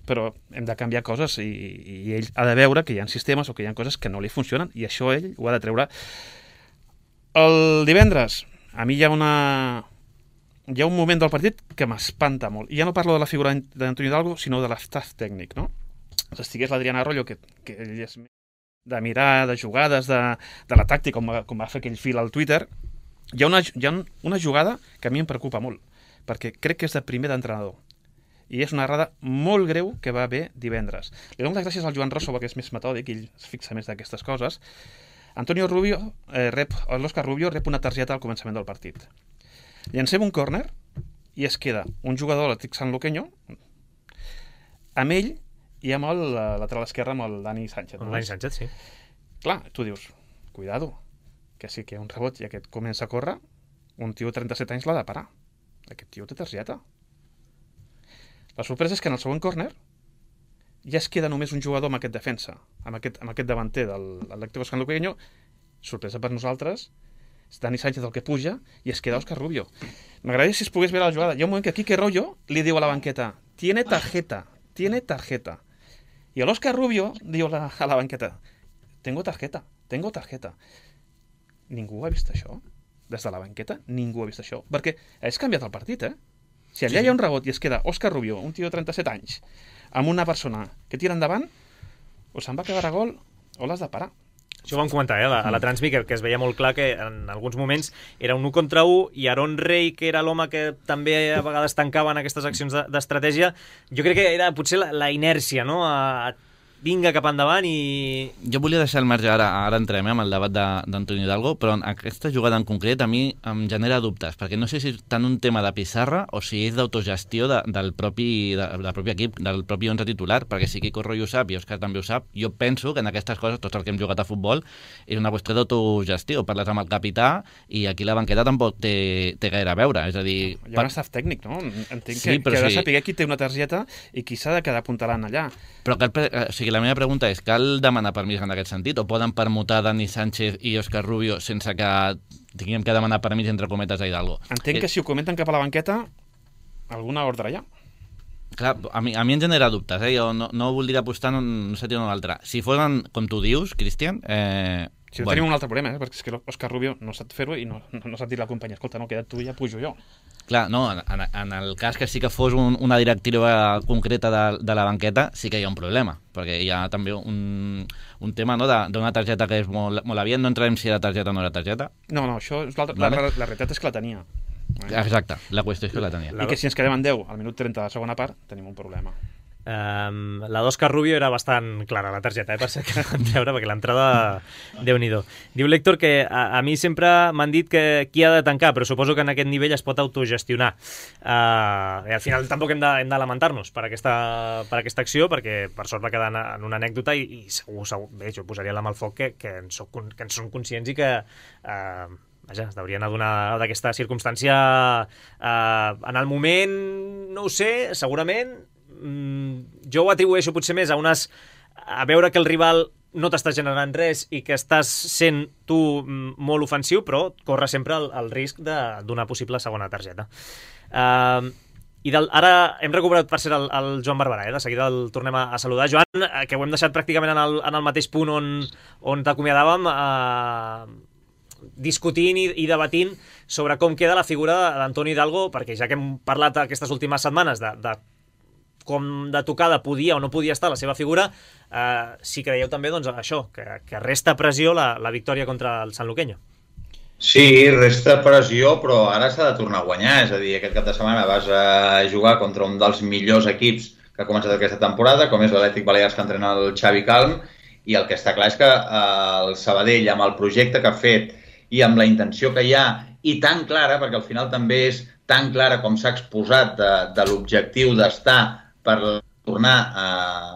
però hem de canviar coses i, i ell ha de veure que hi ha sistemes o que hi ha coses que no li funcionen i això ell ho ha de treure. El divendres, a mi hi ha una... hi ha un moment del partit que m'espanta molt. I ja no parlo de la figura d'Antoni Hidalgo, sinó de l'estaf tècnic, no? Si estigués l'Adrián Arroyo, que, que ell és de mirar, de jugades, de, de la tàctica, com, com va fer aquell fil al Twitter, hi ha, una, hi ha una jugada que a mi em preocupa molt, perquè crec que és de primer d'entrenador. I és una errada molt greu que va haver divendres. Li dono les gràcies al Joan Rosso, perquè és més metòdic, ell es fixa més d'aquestes coses. Antonio Rubio, eh, rep, l'Òscar Rubio rep una targeta al començament del partit. Llancem un córner i es queda un jugador de l'Atlètic Sanluqueño amb ell i amb el lateral esquerre, amb el Dani Sánchez. Amb Dani Sánchez, sí. Clar, tu dius, cuidado, que sí que hi ha un rebot i aquest comença a córrer, un tio de trenta-set anys l'ha de parar. Aquest tio té targeta. La sorpresa és que en el segon córner ja es queda només un jugador amb aquest defensa, amb aquest, amb aquest davanter de l'Atlético Sanluqueño. Sorpresa per nosaltres, és Dani Sánchez el que puja i es queda Òscar Rubio. M'agradaria si es pogués veure la jugada. Hi ha un moment que Quique Rollo li diu a la banqueta, tiene tarjeta, tiene tarjeta. I l'Òscar Rubio diu a la, a la banqueta, tengo tarjeta, tengo tarjeta. Ningú ha vist això? Des de la banqueta, ningú ha vist això. Perquè has canviat el partit, eh? Si allà hi ha un rebot i es queda Òscar Rubio, un tio de trenta-set anys, amb una persona que tira endavant, o se'n va quedar a gol o l'has de parar. Això ho vam comentar, eh, a la, a la Transmi, que, que es veia molt clar que en alguns moments era un u contra u i Aaron Rey, que era l'home que també a vegades tancava en aquestes accions d'estratègia, jo crec que era potser la, la inèrcia, no? A, a vinga cap endavant i... Jo volia deixar el marge, ara, ara entrem eh, amb el debat d'Antoni Hidalgo, però en aquesta jugada en concret a mi em genera dubtes, perquè no sé si és tant un tema de pissarra o si és d'autogestió de, del, propi, de, del propi equip, del propi onze titular, perquè si Quico Rollo ho sap i Òscar també ho sap, jo penso que en aquestes coses, tots els que hem jugat a futbol, és una qüestió d'autogestió, parles amb el capità i aquí la banqueta tampoc té, té gaire a veure, és a dir... Hi ha un staff tècnic, no? Entenc sí, que, que ha de sí. saber qui té una targeta i qui s'ha de quedar apuntalant allà. Però cal, o sigui, la meva pregunta és, cal demanar permís en aquest sentit? O poden permutar Dani Sánchez i Òscar Rubio sense que tinguem que demanar permís entre cometes a Hidalgo? Entenc que si ho comenten cap a la banqueta, alguna ordre hi ha. Clar, a mi, a mi em genera dubtes, eh? Jo no, no voldria apostar en un sentit o en un altre. Si fossin, com tu dius, Cristian... Eh, si bueno. Tenim un altre problema, eh? Perquè és que Òscar Rubio no sap fer-ho i no, no, no sap dir la companya, escolta, no, queda't tu i ja pujo jo. Clar, no, en, en el cas que sí que fos un, una directiva concreta de, de la banqueta, sí que hi ha un problema, perquè hi ha també un, un tema no, d'una targeta que és molt, molt aviat, no entrarem si era targeta o no era targeta. No, no, això és vale. la, la, la realitat és que la tenia. Exacte, la qüestió és que la tenia. I que si ens quedem en deu al minut trenta de la segona part, tenim un problema. Um, la d'Òscar Rubio era bastant clara, la targeta, eh, per ser que vam veure, perquè l'entrada, Déu-n'hi-do. Diu l'Héctor que a, a mi sempre m'han dit que qui ha de tancar, però suposo que en aquest nivell es pot autogestionar. Uh, i al final tampoc hem de, hem de lamentar-nos per aquesta, per aquesta acció, perquè per sort va quedar en, en una anècdota i, i segur, segur, bé, jo posaria la mà al foc que, que, en soc, que en són conscients i que... Uh, Vaja, es deurien adonar d'aquesta circumstància uh, en el moment, no ho sé, segurament. Mm, jo ho atribueixo potser més a unes... a veure que el rival no t'està generant res i que estàs sent tu molt ofensiu, però corre sempre el, el risc d'una possible segona targeta. Uh, I del, ara hem recuperat per ser el, el Joan Barberà, eh? De seguida el tornem a, a saludar. Joan, que ho hem deixat pràcticament en el, en el mateix punt on, on t'acomiadàvem, eh, discutint i, i debatint sobre com queda la figura d'Antoni Hidalgo, perquè ja que hem parlat aquestes últimes setmanes de, de com de tocada podia o no podia estar la seva figura, eh, si creieu també doncs, això, que, que resta pressió la, la victòria contra el Sanluqueño. Sí, resta pressió, però ara s'ha de tornar a guanyar. És a dir, aquest cap de setmana vas a jugar contra un dels millors equips que ha començat aquesta temporada, com és l'Atlètic Balears que entrena el Xavi Calm, i el que està clar és que el Sabadell, amb el projecte que ha fet i amb la intenció que hi ha, i tan clara, perquè al final també és tan clara com s'ha exposat de, de l'objectiu d'estar per tornar a,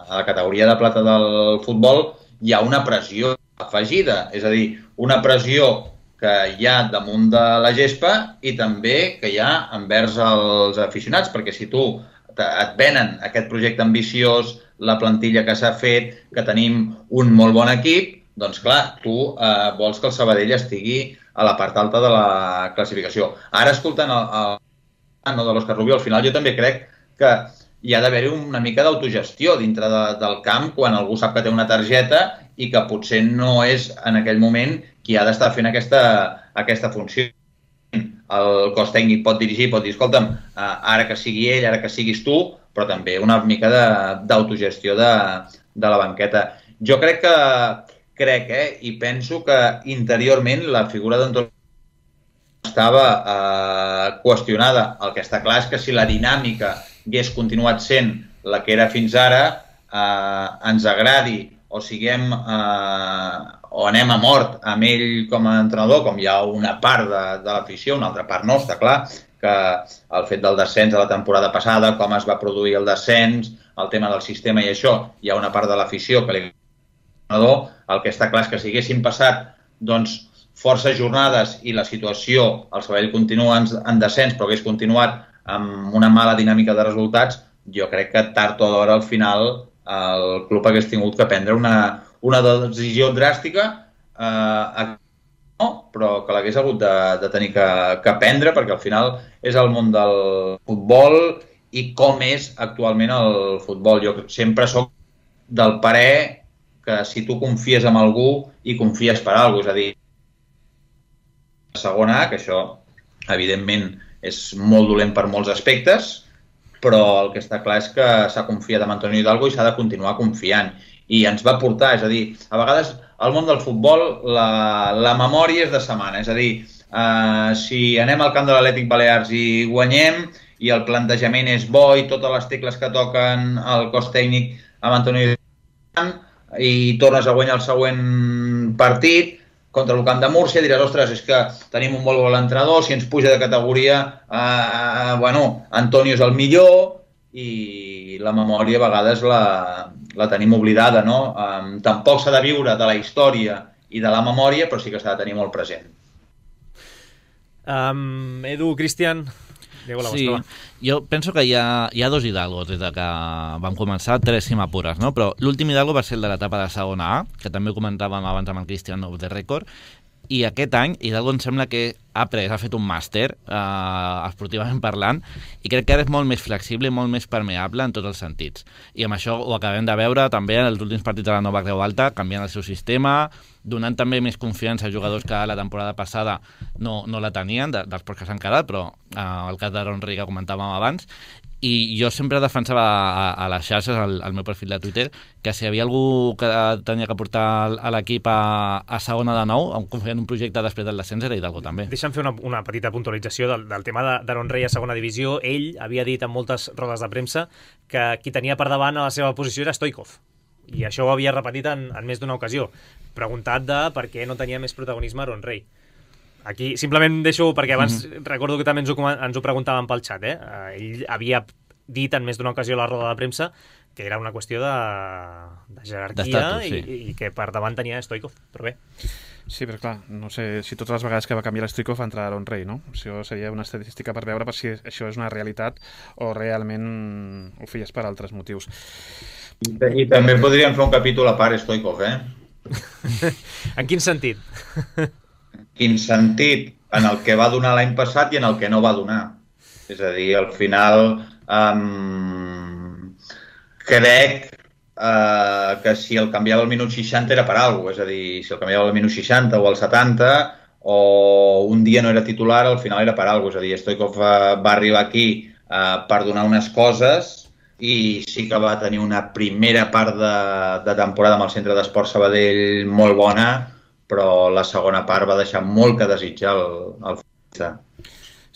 a la categoria de plata del futbol, hi ha una pressió afegida, és a dir, una pressió que hi ha damunt de la gespa i també que hi ha envers els aficionats, perquè si tu et venen aquest projecte ambiciós, la plantilla que s'ha fet, que tenim un molt bon equip, doncs clar, tu eh, vols que el Sabadell estigui a la part alta de la classificació. Ara, escoltant el, el no, de l'Òscar Rubio, al final jo també crec que hi ha d'haver-hi una mica d'autogestió dintre de, del camp quan algú sap que té una targeta i que potser no és en aquell moment qui ha d'estar fent aquesta, aquesta funció. El cos tècnic pot dirigir, pot dir, escolta'm, ara que sigui ell, ara que siguis tu, però també una mica d'autogestió de, de la banqueta. Jo crec que, crec, eh, i penso que interiorment la figura d'Antoni estava eh, qüestionada. El que està clar és que si la dinàmica hagués continuat sent la que era fins ara, eh, ens agradi o siguem eh, o anem a mort amb ell com a entrenador, com hi ha una part de, de l'afició, una altra part no, està clar, que el fet del descens de la temporada passada, com es va produir el descens, el tema del sistema i això, hi ha una part de l'afició que li entrenador, el que està clar és que si haguessin passat doncs, forces jornades i la situació, el Sabadell continua en, en descens, però hagués continuat amb una mala dinàmica de resultats, jo crec que tard o d'hora al final el club hagués tingut que prendre una, una decisió dràstica, eh, no, però que l'hagués hagut de, de tenir que, que prendre, perquè al final és el món del futbol i com és actualment el futbol. Jo sempre soc del parer que si tu confies en algú i confies per alguna cosa, és a dir, segona A, que això evidentment és molt dolent per molts aspectes, però el que està clar és que s'ha confiat en Antonio Hidalgo i s'ha de continuar confiant. I ens va portar, és a dir, a vegades al món del futbol la, la memòria és de setmana, és a dir, eh, si anem al camp de l'Atlètic Balears i guanyem i el plantejament és bo i totes les tecles que toquen el cos tècnic amb Antonio Hidalgo i tornes a guanyar el següent partit contra el Camp de Múrcia, diràs, ostres, és que tenim un molt bon entrenador, si ens puja de categoria, eh, eh, bueno, Antonio és el millor i la memòria a vegades la, la tenim oblidada, no? Eh, tampoc s'ha de viure de la història i de la memòria, però sí que s'ha de tenir molt present. Um, Edu, Cristian... Diego, la sí, jo penso que hi ha, hi ha dos Hidalgos des de que vam començar, tres si m'apures, no? Però l'últim Hidalgo va ser el de l'etapa de segona A, que també ho comentàvem abans amb el Cristian of the Record, i aquest any Hidalgo em sembla que ha pres, ha fet un màster, eh, esportivament parlant, i crec que ara és molt més flexible i molt més permeable en tots els sentits. I amb això ho acabem de veure també en els últims partits de la Nova Creu Alta, canviant el seu sistema, donant també més confiança a jugadors que la temporada passada no, no la tenien, de, dels pocs que s'han quedat, però eh, el cas d'Aaron Rey que comentàvem abans. I jo sempre defensava a, a les xarxes, al, al meu perfil de Twitter, que si hi havia algú que tenia que portar a l'equip a, a segona de nou, confiant en un projecte després del descens, era Hidalgo també. Deixa'm fer una, una petita puntualització del, del tema d'Aaron Rey a segona divisió. Ell havia dit en moltes rodes de premsa que qui tenia per davant a la seva posició era Stoikov. I això ho havia repetit en, en més d'una ocasió. Preguntat de per què no tenia més protagonisme Aaron Rey. Aquí simplement deixo, perquè abans mm-hmm. recordo que també ens ho, ens ho preguntàvem pel xat, eh? Ell havia dit en més d'una ocasió a la roda de premsa que era una qüestió de, de jerarquia i, sí. i que per davant tenia Stoikov, però bé. Sí, però clar, no sé si totes les vegades que va canviar l'Stoikov va entrar Aaron Rey, no? Això seria una estadística per veure per si això és una realitat o realment ho feies per altres motius. I, i també podríem fer un capítol a part Stoikov, eh? En quin sentit? Quin sentit? En el que va donar l'any passat i en el que no va donar. És a dir, al final um, crec uh, que si el canviava al minut seixanta era per alguna cosa. És a dir, si el canviava al minut seixanta o al setanta o un dia no era titular, al final era per alguna cosa. És a dir, Stoikov uh, va arribar aquí uh, per donar unes coses i sí que va tenir una primera part de, de temporada amb el Centre d'Esport Sabadell molt bona, però la segona part va deixar molt que desitjar el, el futbolista.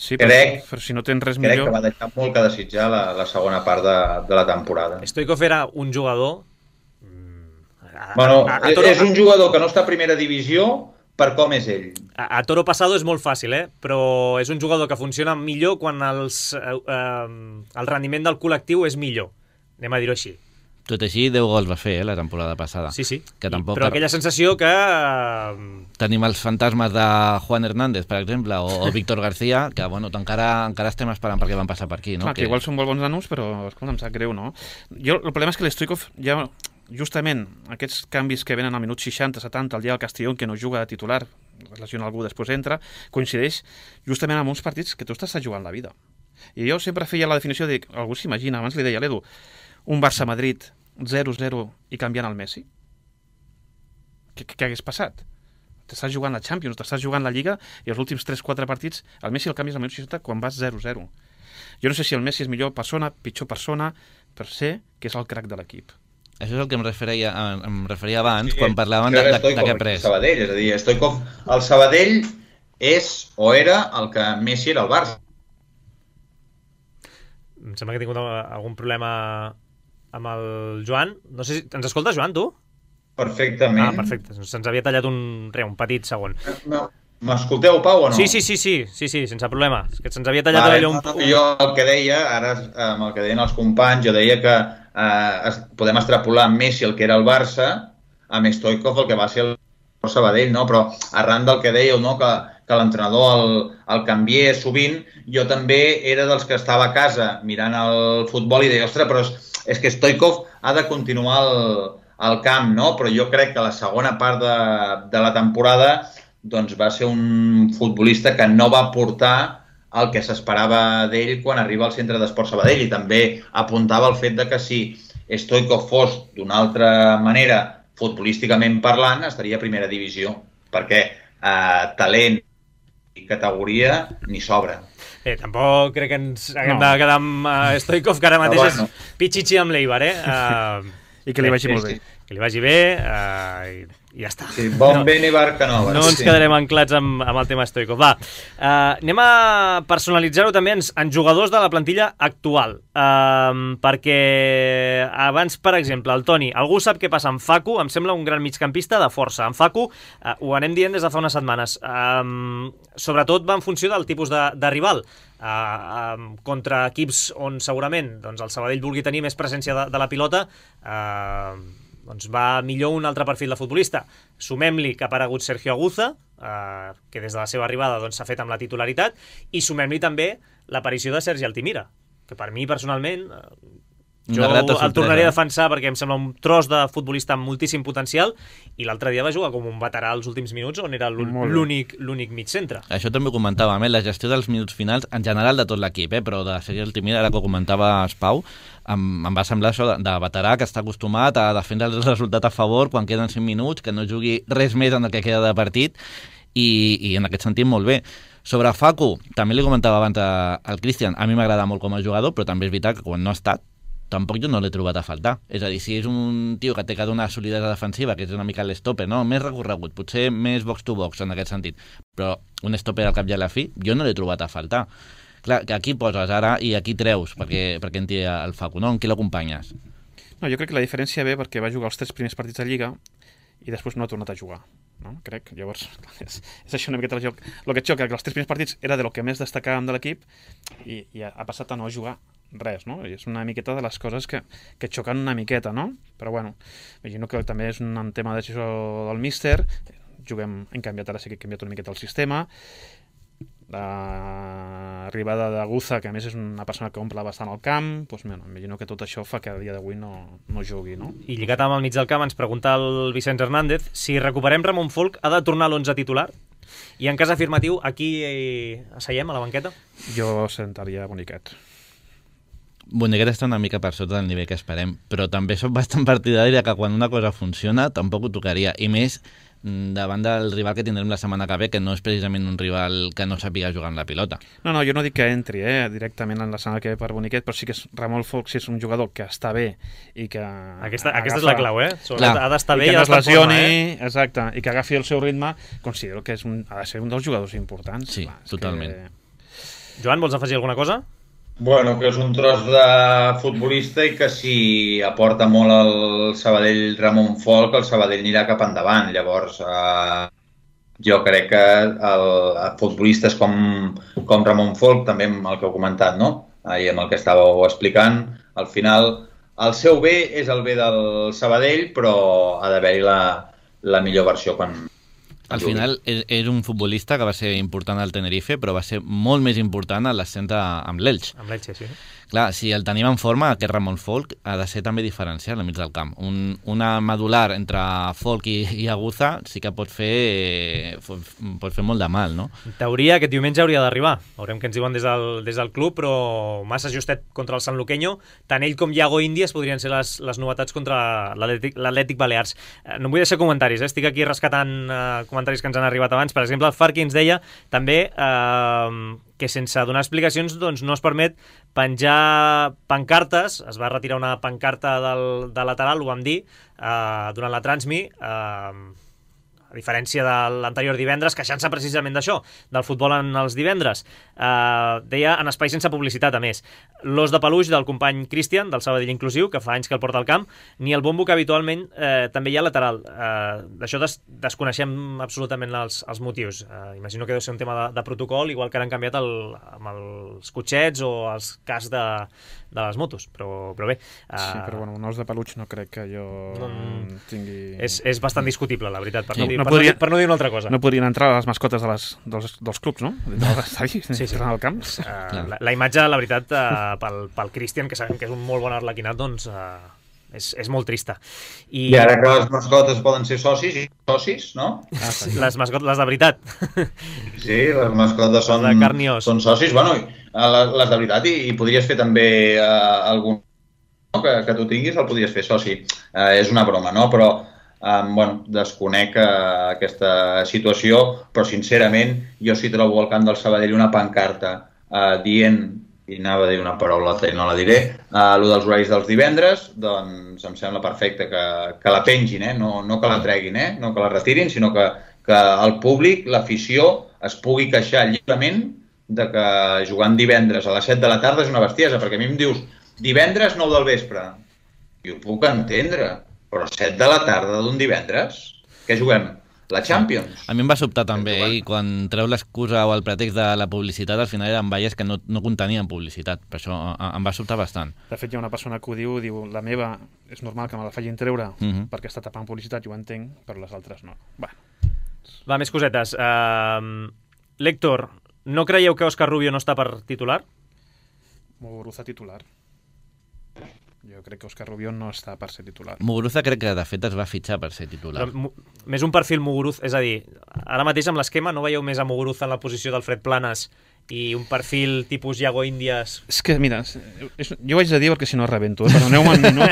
Sí, però, crec, però si no tens res crec millor... que va deixar molt que desitjar la, la segona part de, de la temporada. Stoichkov era un jugador... A, bueno, a, a Toro... és un jugador que no està a primera divisió per com és ell. A, a Toro Passado és molt fàcil, eh? Però és un jugador que funciona millor quan els, eh, eh, el rendiment del col·lectiu és millor. Anem a dir-ho així. Tot així, deu gols va fer, eh, la temporada passada. Sí, sí. Que tampoc... Però aquella sensació que... Tenim els fantasmes de Juan Hernández, per exemple, o, o Víctor García, que, bueno, encara, encara estem esperant perquè van passar per aquí, no? Clar, que, que igual són molt bons nanos, però, escolta, em sap greu, no? Jo, el problema és que l'Stoichkov ja... Justament, aquests canvis que venen al minut seixanta setanta, el dia del Castellón, que no juga de titular, es lesiona algú, després entra, coincideix justament amb uns partits que tu estàs jugant la vida. I jo sempre feia la definició de... Algú s'imagina, abans li deia a l'Edu, un Barça-Madrid zero zero i canviant el Messi? Què, què hagués passat? T'estàs jugant la Champions, t'estàs jugant la Lliga i els últims tres quatre partits el Messi el canvies al minut seixanta quan vas zero zero. Jo no sé si el Messi és millor persona, pitjor persona, però sé que és el crac de l'equip. Això és el que em referia, em referia abans, sí, quan parlaven de, de, de, de què pres. Sabadell, és a dir, Stoichkov, el Sabadell és o era el que Messi era el Barça. Em sembla que he tingut algun problema amb el Joan. No sé si... Ens escolta, Joan, tu? Perfectament. Ah, perfecte. Se'ns havia tallat un, re, un petit segon. No. M'escolteu, Pau, o no? Sí, sí, sí, sí, sí, sí, sense problema. És que se'ns havia tallat vale, allò un... Jo el que deia, ara amb el que deien els companys, jo deia que eh, podem extrapolar amb Messi el que era el Barça, amb Stoichkov el que va ser el Sabadell, no? Però arran del que dèieu, no? que, que l'entrenador el, el canvié sovint, jo també era dels que estava a casa mirant el futbol i deia, ostres, però és, és que Stoichkov ha de continuar el, el camp, no? Però jo crec que la segona part de, de la temporada doncs va ser un futbolista que no va portar el que s'esperava d'ell quan arriba al Centre d'Esport Sabadell, i també apuntava el fet de que si Stoichkov fos d'una altra manera, futbolísticament parlant, estaria a primera divisió, perquè eh, talent i categoria ni sobra. Eh, tampoc crec que ens haguem no. de quedar amb uh, Stoichkov, que ara mateix bueno. és pitxitxi amb l'Eibar, eh? Uh, I que li vagi sí, molt bé. Que li vagi bé uh, i, i ja està. Sí, bon no, bene barca nova. No ens sí. quedarem anclats amb, amb el tema Stoichkov. Va, uh, anem a personalitzar-ho també en, en jugadors de la plantilla actual. Uh, perquè abans, per exemple, el Toni, algú sap què passa amb Facu? Em sembla un gran migcampista de força. En Facu, uh, ho anem dient des de fa unes setmanes. Uh, sobretot va en funció del tipus de, de rival. Uh, uh, contra equips on segurament doncs, el Sabadell vulgui tenir més presència de, de la pilota, uh, doncs va millor un altre perfil de futbolista. Sumem-li que ha aparegut Sergio Aguza, eh, que des de la seva arribada doncs, s'ha fet amb la titularitat, i sumem-li també l'aparició de Sergi Altimira, que per mi personalment eh, jo el tornaré a defensar perquè em sembla un tros de futbolista amb moltíssim potencial, i l'altre dia va jugar com un veterà als últims minuts, on era l'únic l'únic mig centre. Això també ho comentàvem, eh? La gestió dels minuts finals en general de tot l'equip, eh? Però de Sergi Altimira, ara que ho comentava Pau, em, em va semblar això de, de veterà que està acostumat a defendre el resultat a favor quan queden cinc minuts, que no jugui res més en el que queda de partit, i, i en aquest sentit molt bé. Sobre Facu, també li comentava abans al Cristian, a mi m'agrada molt com a jugador, però també és veritat que quan no ha estat, tampoc jo no l'he trobat a faltar. És a dir, si és un tio que té que donar solidesa defensiva, que és una mica l'estoper, no? Més recorregut, potser més box to box en aquest sentit, però un estoper al cap i a la fi, jo no l'he trobat a faltar. Clar, que aquí poses ara i aquí treus perquè, perquè en tira el Facu, no? En qui l'acompanyes? No, jo crec que la diferència ve perquè va jugar els tres primers partits de Lliga i després no ha tornat a jugar, no? Crec, llavors és, és això una miqueta el joc. El que et xoca, que els tres primers partits era de lo que més destacàvem de l'equip i, i ha passat a no jugar res, no? I és una miqueta de les coses que, que xoquen una miqueta, no? Però bueno, imagino que també és un tema de decisió del míster, juguem, hem canviat, ara sí que hem canviat una miqueta el sistema, l'arribada d'Aguza, que a més és una persona que omple bastant el camp, doncs, bueno, imagino que tot això fa que a dia d'avui no, no jugui, no? I lligat amb el mig del camp ens pregunta el Vicenç Hernández si recuperem Ramon Folk, ha de tornar a l'onze titular? I en cas afirmatiu, aquí eh, asseiem a la banqueta? Jo sentaria boniquet. Boniquet està una mica per sota del nivell que esperem, però també soc bastant partidari que quan una cosa funciona tampoc ho tocaria, i més davant del rival que tindrem la setmana que ve, que no és precisament un rival que no sàpiga jugar amb la pilota. No, no, jo no dic que entri eh, directament en la setmana que ve per Boniquet, però sí que és, Ramon Folch sí és un jugador que està bé i que... Aquesta, agafa, aquesta és la clau, eh? Clar, ha d'estar bé i i que ha no es d'estar en forma, lesioni, eh? exacte, i que agafi el seu ritme, considero que és un, ha de ser un dels jugadors importants. Sí, clar, totalment. Que... Joan, vols afegir alguna cosa? Bueno, que és un tros de futbolista i que si aporta molt el Sabadell Ramon Folch, el Sabadell anirà cap endavant. Llavors, eh, jo crec que el, el futbolistes com, com Ramon Folch, també amb el que heu comentat, no? I amb el que estàveu explicant, al final el seu bé és el bé del Sabadell, però ha d'haver-hi la, la millor versió quan... Al final és un futbolista que va ser important al Tenerife, però va ser molt més important a l'ascens amb l'Elx. Amb l'Elx, sí. Clar, si el tenim en forma, aquest Ramon Folch ha de ser també diferencial al mig del camp. Un, una medular entre Folch i, i Aguza sí que pot fer, pot fer molt de mal, no? En teoria, aquest diumenge hauria d'arribar. Veurem què ens diuen des del, des del club, però massa justet contra el San Luqueño. Tant ell com Iago Índies podrien ser les, les novetats contra l'Atlètic Balears. No em vull deixar comentaris, eh? Estic aquí rescatant eh, comentaris que ens han arribat abans. Per exemple, el Farqui ens deia també eh, que sense donar explicacions doncs, no es permet penjar pancartes. Es va retirar una pancarta del, de lateral, ho vam dir, eh, durant la Transmi, eh, a diferència de l'anterior divendres, queixant-se precisament d'això, del futbol en els divendres. Eh, deia en espai sense publicitat, a més. L'os de peluix del company Cristian, del Sabadell Inclusiu, que fa anys que el porta al camp, ni el bombo que habitualment eh, també hi ha lateral. Eh, D'això des, desconeixem absolutament els, els motius. Eh, imagino que deu ser un tema de, de protocol, igual que ara han canviat el, amb els cotxets o els cascs de, de les motos, però, però bé. Eh, sí, però bueno, un os de peluix no crec que jo no, tingui... És, és bastant discutible, la veritat, per, sí. no, dir, no per, podria, no, dir, per no dir una altra cosa. No podrien entrar a les mascotes de les, dels, dels clubs, no? Dels estadis, sí, sí. Al camp. Uh, la, la imatge, la veritat, uh, pel, pel Cristian, que sabem que és un molt bon arlequinat, doncs uh, és, és molt trista. I... I ara que les mascotes poden ser socis i socis, no? Ah, sí. Les mascotes, les de veritat. Sí, les mascotes són, de carn i os. Són socis. Bueno, les, les de veritat, i, i podries fer també uh, algun no? que, que tu tinguis, el podries fer soci. Uh, és una broma, no? Però Um, bueno, desconec uh, aquesta situació, però sincerament jo si trobo al camp del Sabadell una pancarta uh, dient, i anava a dir una paraula i no la diré, uh, el dels horaris dels divendres, doncs em sembla perfecte que, que la pengin, eh? no, no que la treguin, eh? No que la retirin, sinó que, que el públic, l'afició, es pugui queixar lliurement de que jugant divendres a les set de la tarda és una bestiesa, perquè a mi em dius divendres nou del vespre, i ho puc entendre, però set de la tarda d'un divendres, què juguem? La Champions. A mi em va sobtar també, eh? I quan treu l'excusa o el pretext de la publicitat, al final eren valles que no, no contenien publicitat. Per això em va sobtar bastant. De fet, hi ha una persona que ho diu, diu, la meva és normal que me la facin treure uh -huh. perquè està tapant publicitat, jo ho entenc, però les altres no. Va, Va més cosetes. Uh, L'Héctor, no creieu que Òscar Rubio no està per titular? Muguruza titular. Jo crec que Òscar Rubio no està per ser titular. Muguruza crec que de fet es va fitxar per ser titular. Però, més un perfil Muguruza, és a dir, ara mateix amb l'esquema no veieu més a Muguruza en la posició d'Alfred Planes i un perfil tipus Iago Índies? És que, mira, és, jo ho haig de dir perquè si no rebento, eh? Perdoneu-me un minut,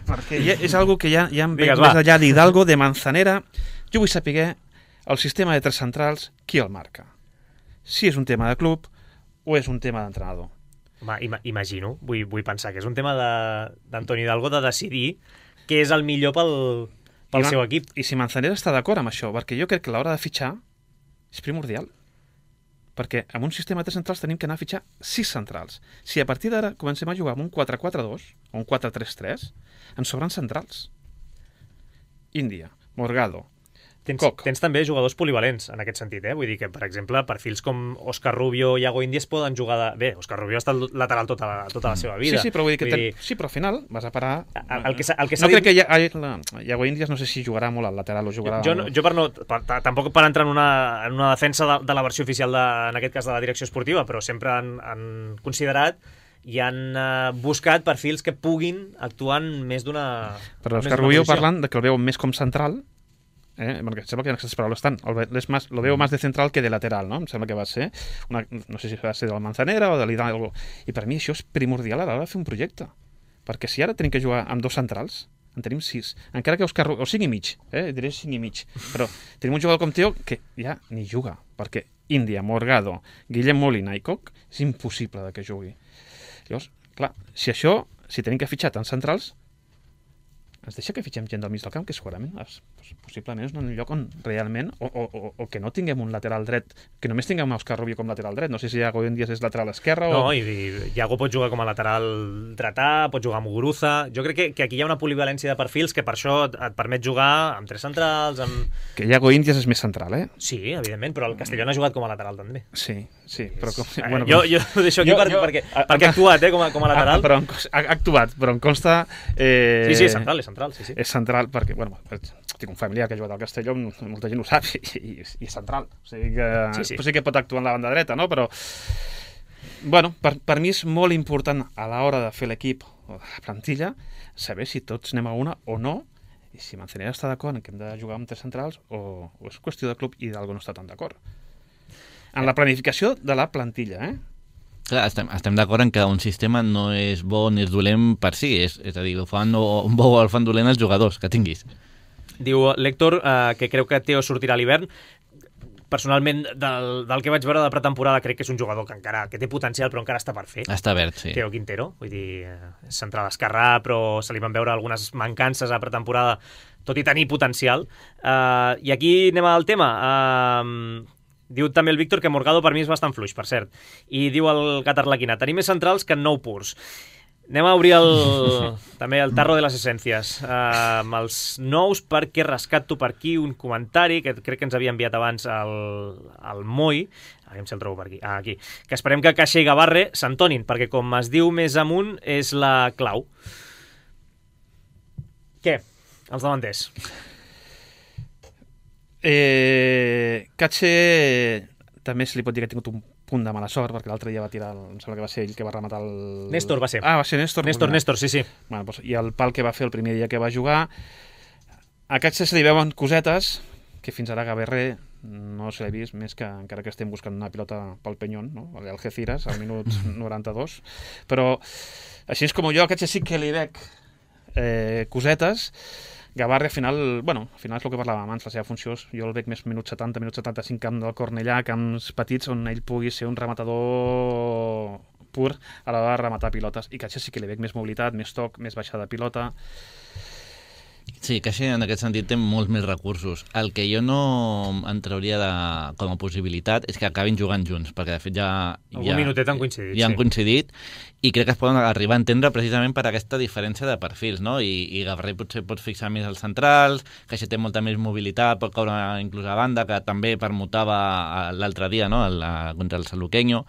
perquè ja, és algo que ja, ja em veig més allà d'Hidalgo, de Manzanera. Jo vull saber el sistema de tres centrals, qui el marca? Si és un tema de club o és un tema d'entrenador. Home, ima imagino, vull, vull pensar que és un tema d'Antoni Hidalgo de decidir què és el millor pel, pel seu equip. I si Manzanera està d'acord amb això, perquè jo crec que l'hora de fitxar és primordial. Perquè amb un sistema de tres centrals tenim que anar a fitxar sis centrals. Si a partir d'ara comencem a jugar amb un quatre quatre dos o un quatre tres tres, ens sobren centrals. Índia, Morgado, Tens, tens també jugadors polivalents en aquest sentit, eh? Vull dir que, per exemple, perfils com Òscar Rubio i Iago Índies poden jugar de... Bé, Òscar Rubio ha estat lateral tota la, tota la seva vida. Sí, sí, però vull dir que vull dir... Ten... sí, però al final vas a parar... El, el que el que no dit... crec que ja, Iago Índies no sé si jugarà molt al lateral o jugarà... Jo, jo, jo per no... Per, tampoc per entrar en una, en una defensa de, de la versió oficial, de, en aquest cas de la direcció esportiva, però sempre han, han considerat i han uh, buscat perfils que puguin actuar en més d'una... Però Òscar Rubio parlant de que el veuen més com central, eh? Perquè em sembla que en aquestes paraules estan. Es más, lo veo más de central que de lateral, no? Em sembla que va ser, una, no sé si va ser de la Manzanera o de l'Hidalgo. I per mi això és primordial a l'hora de fer un projecte. Perquè si ara tenim que jugar amb dos centrals, en tenim sis. Encara que Òscar Rubio, o cinc i mig, eh? diré cinc i mig, però tenim un jugador com Teo que ja ni juga, perquè Índia, Morgado, Guillem Molina i Coc és impossible de que jugui. Llavors, clar, si això, si tenim que fitxar tants centrals, ens deixa que fitxem gent del mig del camp, que segurament és, possiblement és un lloc on realment, o, o, o que no tinguem un lateral dret, que només tinguem Òscar Rubio com lateral dret, no sé si Iago Díaz és lateral esquerre o... No, i, i Iago pot jugar com a lateral dretà, pot jugar amb Muguruza, jo crec que, que aquí hi ha una polivalència de perfils que per això et, et permet jugar amb tres centrals, amb... Que Iago Díaz és més central, eh? Sí, evidentment, però el Castellón ha jugat com a lateral també. Sí, sí, però... Com... Eh, bueno, jo, jo ho deixo aquí jo, per, jo, perquè, a, perquè ha actuat, eh, com a, com a lateral. Ah, però ha, ha actuat, però em consta... Eh... Sí, sí, és central, és central, sí, sí. És central perquè, bueno, tinc un familiar que ha jugat al Castelló, molta gent ho sap, i, i, i és central. O sigui que sí, sí. sí que pot actuar en la banda dreta, no? Però, bueno, per, per mi és molt important a l'hora de fer l'equip o de la plantilla saber si tots anem a una o no, i si Manzanera està d'acord en que hem de jugar amb tres centrals o, o és qüestió de club i d'algú no està tan d'acord. En la planificació de la plantilla, eh? Clar, estem, estem d'acord en que un sistema no és bo ni és dolent per si, és, és a dir, el fan o, un bo o el fan dolent els jugadors que tinguis. Diu l'Héctor eh, que creu que Teo sortirà a l'hivern. Personalment, del, del que vaig veure de pretemporada, crec que és un jugador que encara que té potencial, però encara està per fer. Està verd, sí. Teo Quintero, vull dir, és central esquerrà, però se li van veure algunes mancances a pretemporada, tot i tenir potencial. Uh, I aquí anem al tema. Uh, Diu també el Víctor que Morgado per mi és bastant fluix, per cert. I diu el Gat Arlequina, tenim més centrals que nou purs. Anem a obrir el, també el tarro de les essències. Uh, amb els nous, perquè rescato per aquí un comentari que crec que ens havia enviat abans el, el Moi, a veure si el trobo per aquí. Ah, aquí. Que esperem que Caixa i Gavarre s'entonin, perquè com es diu més amunt és la clau. Què? Els davanters. Eh, Catxe també se li pot dir que ha tingut un punt de mala sort, perquè l'altre dia va tirar, el, em sembla que va ser ell que va rematar el... Néstor va ser. Ah, va ser Néstor. Néstor, Néstor, sí, sí. Bueno, doncs, i el pal que va fer el primer dia que va jugar, a Catxe se li veuen cosetes que fins ara Gavarre no se l'he vist, més que encara que estem buscant una pilota pel Peñón, no? El Algeciras, al minut noranta-dos. Però, així és com jo, a Catxe sí que li veig eh, cosetes. Gavarre, al final, bueno, al final és el que parlàvem abans, la seva funció és, jo el veig més minut setanta, minut setanta-cinc, camp del Cornellà, camps petits on ell pugui ser un rematador pur a l'hora de rematar pilotes. I Caixa sí que li veig més mobilitat, més toc, més baixada de pilota. Sí, Caixa en aquest sentit té molts més recursos. El que jo no en trauria de, com a possibilitat és que acabin jugant junts, perquè de fet ja... Algun ja, minutet han coincidit. Ja han sí. coincidit, i crec que es poden arribar a entendre precisament per aquesta diferència de perfils, no? I, i Gavarre potser pot fixar més als centrals, Caixa té molta més mobilitat, pot caure inclús a banda, que també permutava l'altre dia, no? El, contra el Saluqueño.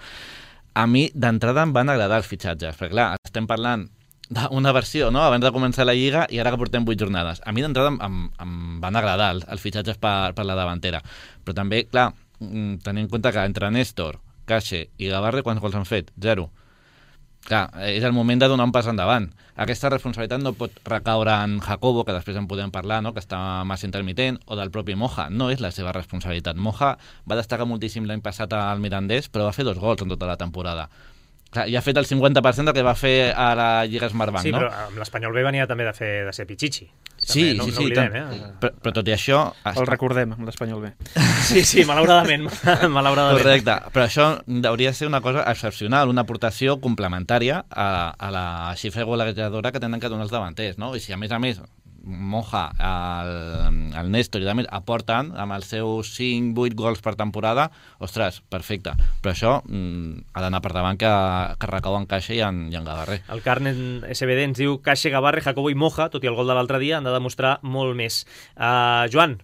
A mi, d'entrada, em van agradar els fitxatges, perquè clar, estem parlant d'una versió, no?, abans de començar la Lliga i ara que portem vuit jornades. A mi d'entrada em, em van agradar els, els fitxatges per, per la davantera. Però també, clar, tenint en compte que entre Néstor, Caixa i Gavarre, quants gols han fet? Zero. Clar, és el moment de donar un pas endavant. Aquesta responsabilitat no pot recaure en Jacobo, que després en podem parlar, no?, que està massa intermitent, o del propi Moja. No és la seva responsabilitat. Moja va destacar moltíssim l'any passat al Mirandés, però va fer dos gols en tota la temporada. Clar, ja ha fet el cinquanta per cent del que va fer a la Lliga Smartbank, sí, no? Sí, però amb l'Espanyol B venia també de, fer, de ser Pichichi. Sí, no, sí, no sí. Oblidem, eh? però, però tot i això... El recordem, amb l'Espanyol B. Sí, sí, malauradament. malauradament. Correcte, però això hauria de ser una cosa excepcional, una aportació complementària a, a la xifra golejadora que tenen que donar els davanters, no? I si a més a més Moja, el, el Néstor i a més aporten amb els seus cinc vuit gols per temporada, ostres, perfecte. Però això mm, ha d'anar per davant que, que recau en Caixa i en, i en Gavarre. El Carnet S B D ens diu Caixa, Gavarre, Jacobo i Moja, tot i el gol de l'altre dia, han de demostrar molt més. Uh, Joan?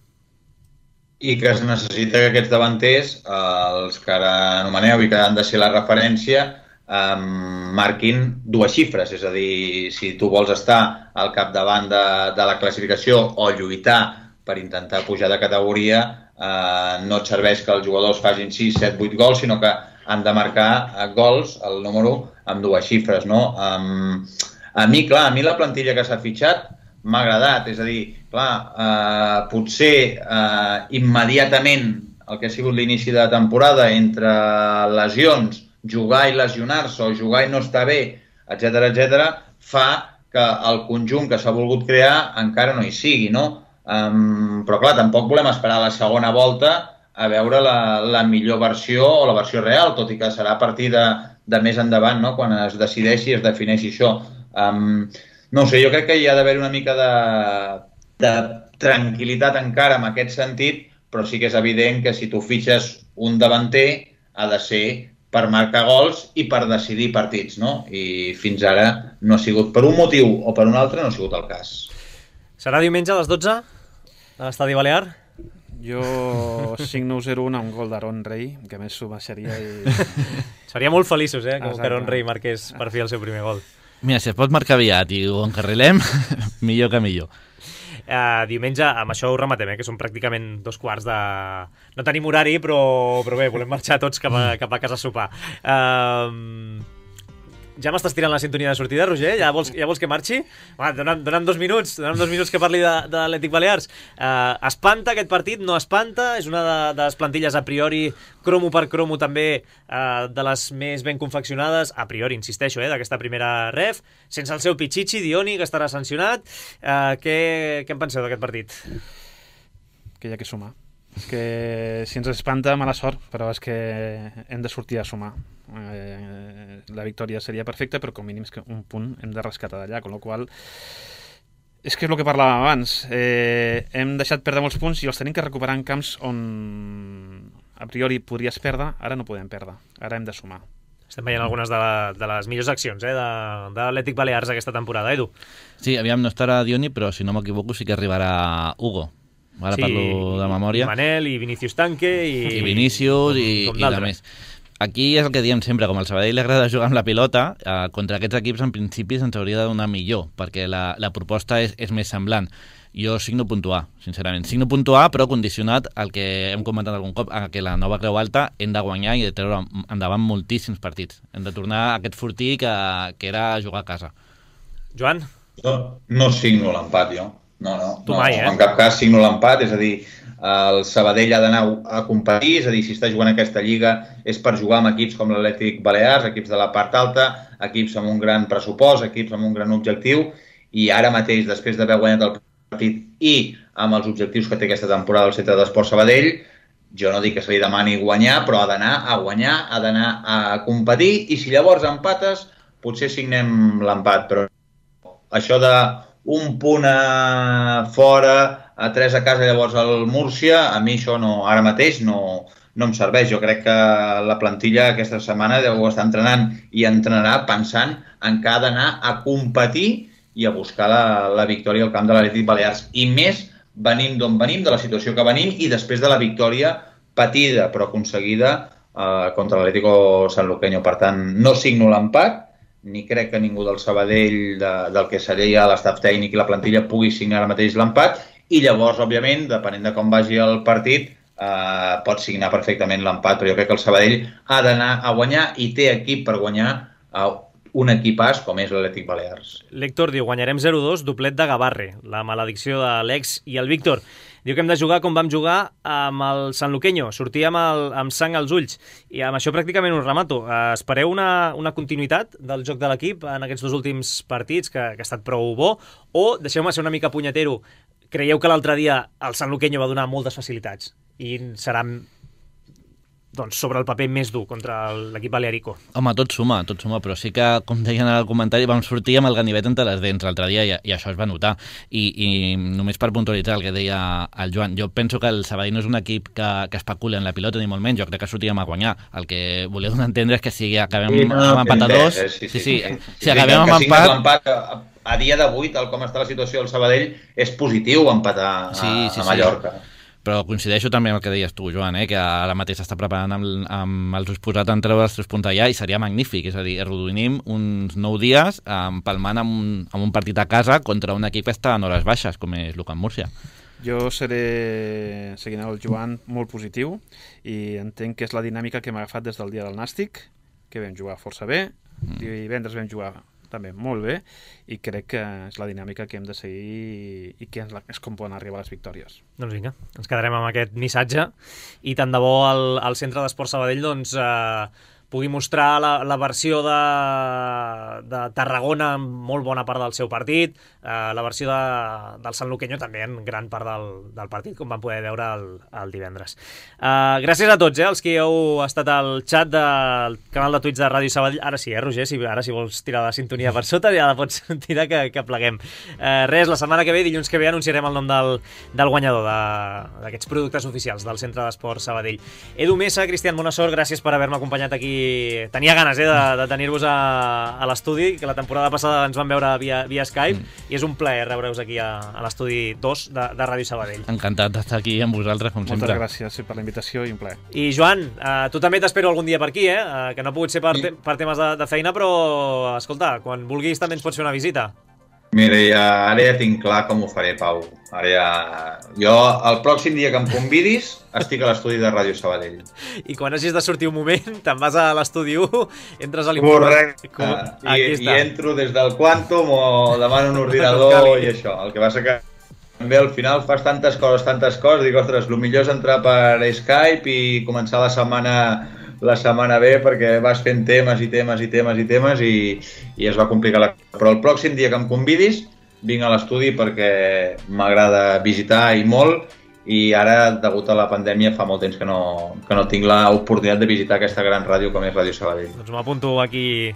I que es necessita que aquests davanters, els que ara anomeneu i que han de ser la referència, Um, marquin dues xifres, és a dir, si tu vols estar al capdavant de, de la classificació o lluitar per intentar pujar de categoria, uh, no et serveix que els jugadors facin sis, set, vuit gols, sinó que han de marcar uh, gols, el número, amb dues xifres, no? Um, a mi, clar, a mi la plantilla que s'ha fitxat m'ha agradat. És a dir, clar, eh, potser eh, immediatament el que ha sigut l'inici de temporada entre lesions, jugar i lesionar-se o jugar i no estar bé, etcètera, etcètera, fa que el conjunt que s'ha volgut crear encara no hi sigui, no? Um, però clar, tampoc volem esperar la segona volta a veure la, la millor versió o la versió real, tot i que serà a partir de, de més endavant, no? Quan es decideixi i es defineixi això. Um, no sé, jo crec que hi ha d'haver una mica de, de tranquil·litat encara en aquest sentit, però sí que és evident que si tu fitxes un davanter ha de ser per marcar gols i per decidir partits, no? I fins ara no ha sigut, per un motiu o per un altre, no ha sigut el cas. Serà diumenge a les dotze a l'Estadi Balear? Jo signo zero un a un gol d'Aaron Rey, que a més s'ho baixaria i... Seria molt feliços, eh, que Exacte. Aaron Rey marqués per fi el seu primer gol. Mira, si es pot marcar aviat i ho encarrilem, millor que millor. Uh, diumenge, amb això ho rematem, eh, que són pràcticament dos quarts de... No tenim horari, però, però bé, volem marxar tots cap a, cap a casa a sopar. Uh, ja m'estàs tirant la sintonia de sortida, Roger? Ja vols, ja vols que marxi? Va, dona'm, dona'm dos minuts, dona'm dos minuts que parli de, de l'Atlètic Balears. Uh, espanta aquest partit? No espanta? És una de, de les plantilles a priori, cromo per cromo també, uh, de les més ben confeccionades, a priori, insisteixo, eh, d'aquesta primera ref, sense el seu Pichichi, Dioni, que estarà sancionat. Uh, què, què en penseu d'aquest partit? Que hi ha que sumar. Que si ens espanta, mala sort, però és que hem de sortir a sumar. Eh, la victòria seria perfecta, però com mínim és que un punt hem de rescatar d'allà, amb la qual és que és el que parlàvem abans. Eh, hem deixat perdre molts punts i els tenim que recuperar en camps on a priori podries perdre, ara no podem perdre, ara hem de sumar. Estem veient algunes de, la, de les millors accions, eh, de, de l'Atlètic Balears aquesta temporada, Edu. Sí, aviam, no estarà Dioni, però si no m'equivoco sí que arribarà Hugo. Ara sí, parlo de memòria. I Manel, i Vinícius Tanque, i... I Vinícius, i, com i de més. Aquí és el que diem sempre, com al Sabadell li agrada jugar amb la pilota, eh, contra aquests equips en principi se'ns hauria de donar millor, perquè la, la proposta és, és més semblant. Jo signo puntuar, sincerament. Signo puntuar, però condicionat al que hem comentat algun cop, a que la nova Creu Alta hem de guanyar i de treure endavant moltíssims partits. Hem de tornar a aquest fortí que, que era jugar a casa. Joan? No, no signo l'empat, jo. No, no, tu no, mai, eh? En cap cas signo l'empat, és a dir, el Sabadell ha d'anar a competir, és a dir, si està jugant aquesta lliga és per jugar amb equips com l'Atlètic Balears, equips de la part alta, equips amb un gran pressupost, equips amb un gran objectiu, i ara mateix, després d'haver guanyat el partit i amb els objectius que té aquesta temporada el Centre d'Esport Sabadell, jo no dic que se li demani guanyar, però ha d'anar a guanyar, ha d'anar a competir, i si llavors empates, potser signem l'empat, però això de un punt a fora, a tres a casa, llavors al Múrcia, a mi això no, ara mateix no, no em serveix. Jo crec que la plantilla aquesta setmana deu estar entrenant i entrenarà pensant en que ha d'anar a competir i a buscar la, la victòria al camp de l'Atlètic Balears. I més venim d'on venim, de la situació que venim, i després de la victòria patida però aconseguida eh, contra l'Atlético Sanluqueño. Per tant, no signo l'empat, ni crec que ningú del Sabadell, de, del que seria l'estaf tècnic i la plantilla, pugui signar ara mateix l'empat, i llavors, òbviament, depenent de com vagi el partit, eh, pot signar perfectament l'empat, però jo crec que el Sabadell ha d'anar a guanyar i té equip per guanyar eh, un equipàs com és l'Atlètic Balears. L'Héctor diu, guanyarem zero dos, doblet de Gavarre, la maledicció de l'Ex i el Víctor. Diu que hem de jugar com vam jugar amb el Sanluqueño, sortir amb, el, amb sang als ulls, i amb això pràcticament us remato. Uh, espereu una, una continuïtat del joc de l'equip en aquests dos últims partits, que, que ha estat prou bo, o, deixeu-me ser una mica punyetero, creieu que l'altre dia el Sanluqueño va donar moltes facilitats i serà, doncs, sobre el paper més dur contra l'equip balearico? Home, tot suma, tot suma, però sí que, com deien en el comentari, vam sortir amb el ganivet entre les dents l'altre dia i, i això es va notar. I, I només per puntualitzar el que deia el Joan, jo penso que el Sabadell no és un equip que, que especula en la pilota, ni molt menys, jo crec que sortíem a guanyar. El que voleu donar a entendre és que si acabem sí, no, amb empat a dos... Sí, sí, sí, sí, sí, si acabem amb empat... A dia d'avui, tal com està la situació del Sabadell, és positiu empatar a, sí, sí, a Mallorca. Sí. Però coincideixo també amb el que deies tu, Joan, eh? Que ara mateix s'està preparant amb, amb els ulls posats en treure els tres punts allà i seria magnífic, és a dir, arrodoninim uns nou dies empalmant amb un, amb un partit a casa contra un equip que està en hores baixes, com és l'Ucamp Múrcia. Jo seré, seguint el Joan, molt positiu i entenc que és la dinàmica que hem agafat des del dia del Nàstic, que vam jugar força bé, mm. divendres vam jugar també molt bé, i crec que és la dinàmica que hem de seguir i que és com poden arribar les victòries. Doncs vinga, ens quedarem amb aquest missatge i tant de bo el, el Centre d'Esports Sabadell doncs, eh, pugui mostrar la, la versió de, de Tarragona en molt bona part del seu partit, eh, la versió de, del Sant Luqueño també en gran part del, del partit, com vam poder veure el, el divendres. Eh, gràcies a tots, eh, els que heu estat al xat del canal de Twitch de Ràdio Sabadell. Ara sí, eh, Roger, si, ara si vols tirar la sintonia per sota, ja la pots tirar que, que pleguem. Eh, res, la setmana que ve, dilluns que ve, anunciarem el nom del, del guanyador d'aquests productes oficials del Centre d'Esports Sabadell. Edu Mesa, Cristian Bonassor, gràcies per haver-me acompanyat aquí. Tenia ganes eh, de, de tenir-vos a, a l'estudi, que la temporada passada ens vam veure via, via Skype, mm. i és un plaer rebre-us aquí a, a l'estudi dos de, de Ràdio Sabadell. Encantat d'estar aquí amb vosaltres, com Moltes sempre. Moltes gràcies per la invitació i un plaer. I Joan, eh, tu també t'espero algun dia per aquí, eh? eh que no ha pogut ser per, te per temes de, de feina, però, escolta, quan vulguis també ens pots fer una visita. Mira, ja, ara ja tinc clar com ho faré, Pau. Ara ja... Jo, el pròxim dia que em convidis, estic a l'estudi de Ràdio Sabadell. I quan hagis de sortir un moment, te'n vas a l'estudi u, entres a l'informe... Correcte. Com... I, I entro des del Quantum o demano un ordinador i això. El que passa que també al final fas tantes coses, tantes coses, dic, ostres, el millor és entrar per Skype i començar la setmana... la setmana bé perquè vas fent temes i temes i temes i temes i, i es va complicar la... Però el pròxim dia que em convidis vinc a l'estudi perquè m'agrada visitar i molt i ara, degut a la pandèmia, fa molt temps que no, que no tinc l'oportunitat de visitar aquesta gran ràdio com és Ràdio Sabadell. Doncs m'apunto aquí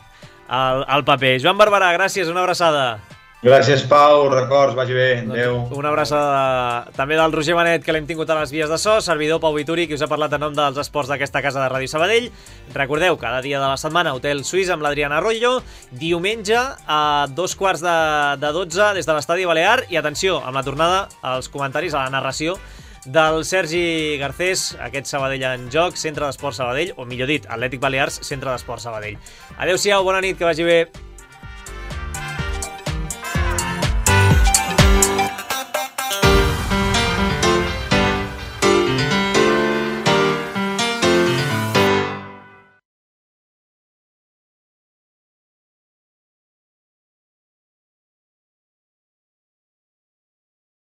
al, al paper. Joan Barberà, gràcies, una abraçada. Gràcies, Pau, records, vagi bé, adeu. Una abraçada també del Roger Benet, que l'hem tingut a les vies de so, servidor Pau Vituri, que us ha parlat en nom dels esports d'aquesta casa de Ràdio Sabadell. Recordeu, cada dia de la setmana, Hotel Suís amb l'Adriana Arroyo, diumenge a dos quarts de, de dotze des de l'Estadi Balear, i atenció, amb la tornada als comentaris, a la narració del Sergi Garcés, aquest Sabadell en joc, Centre d'Esports Sabadell, o millor dit, Atlètic Balears, Centre d'Esports Sabadell. Adéu-siau, bona nit, que vagi bé.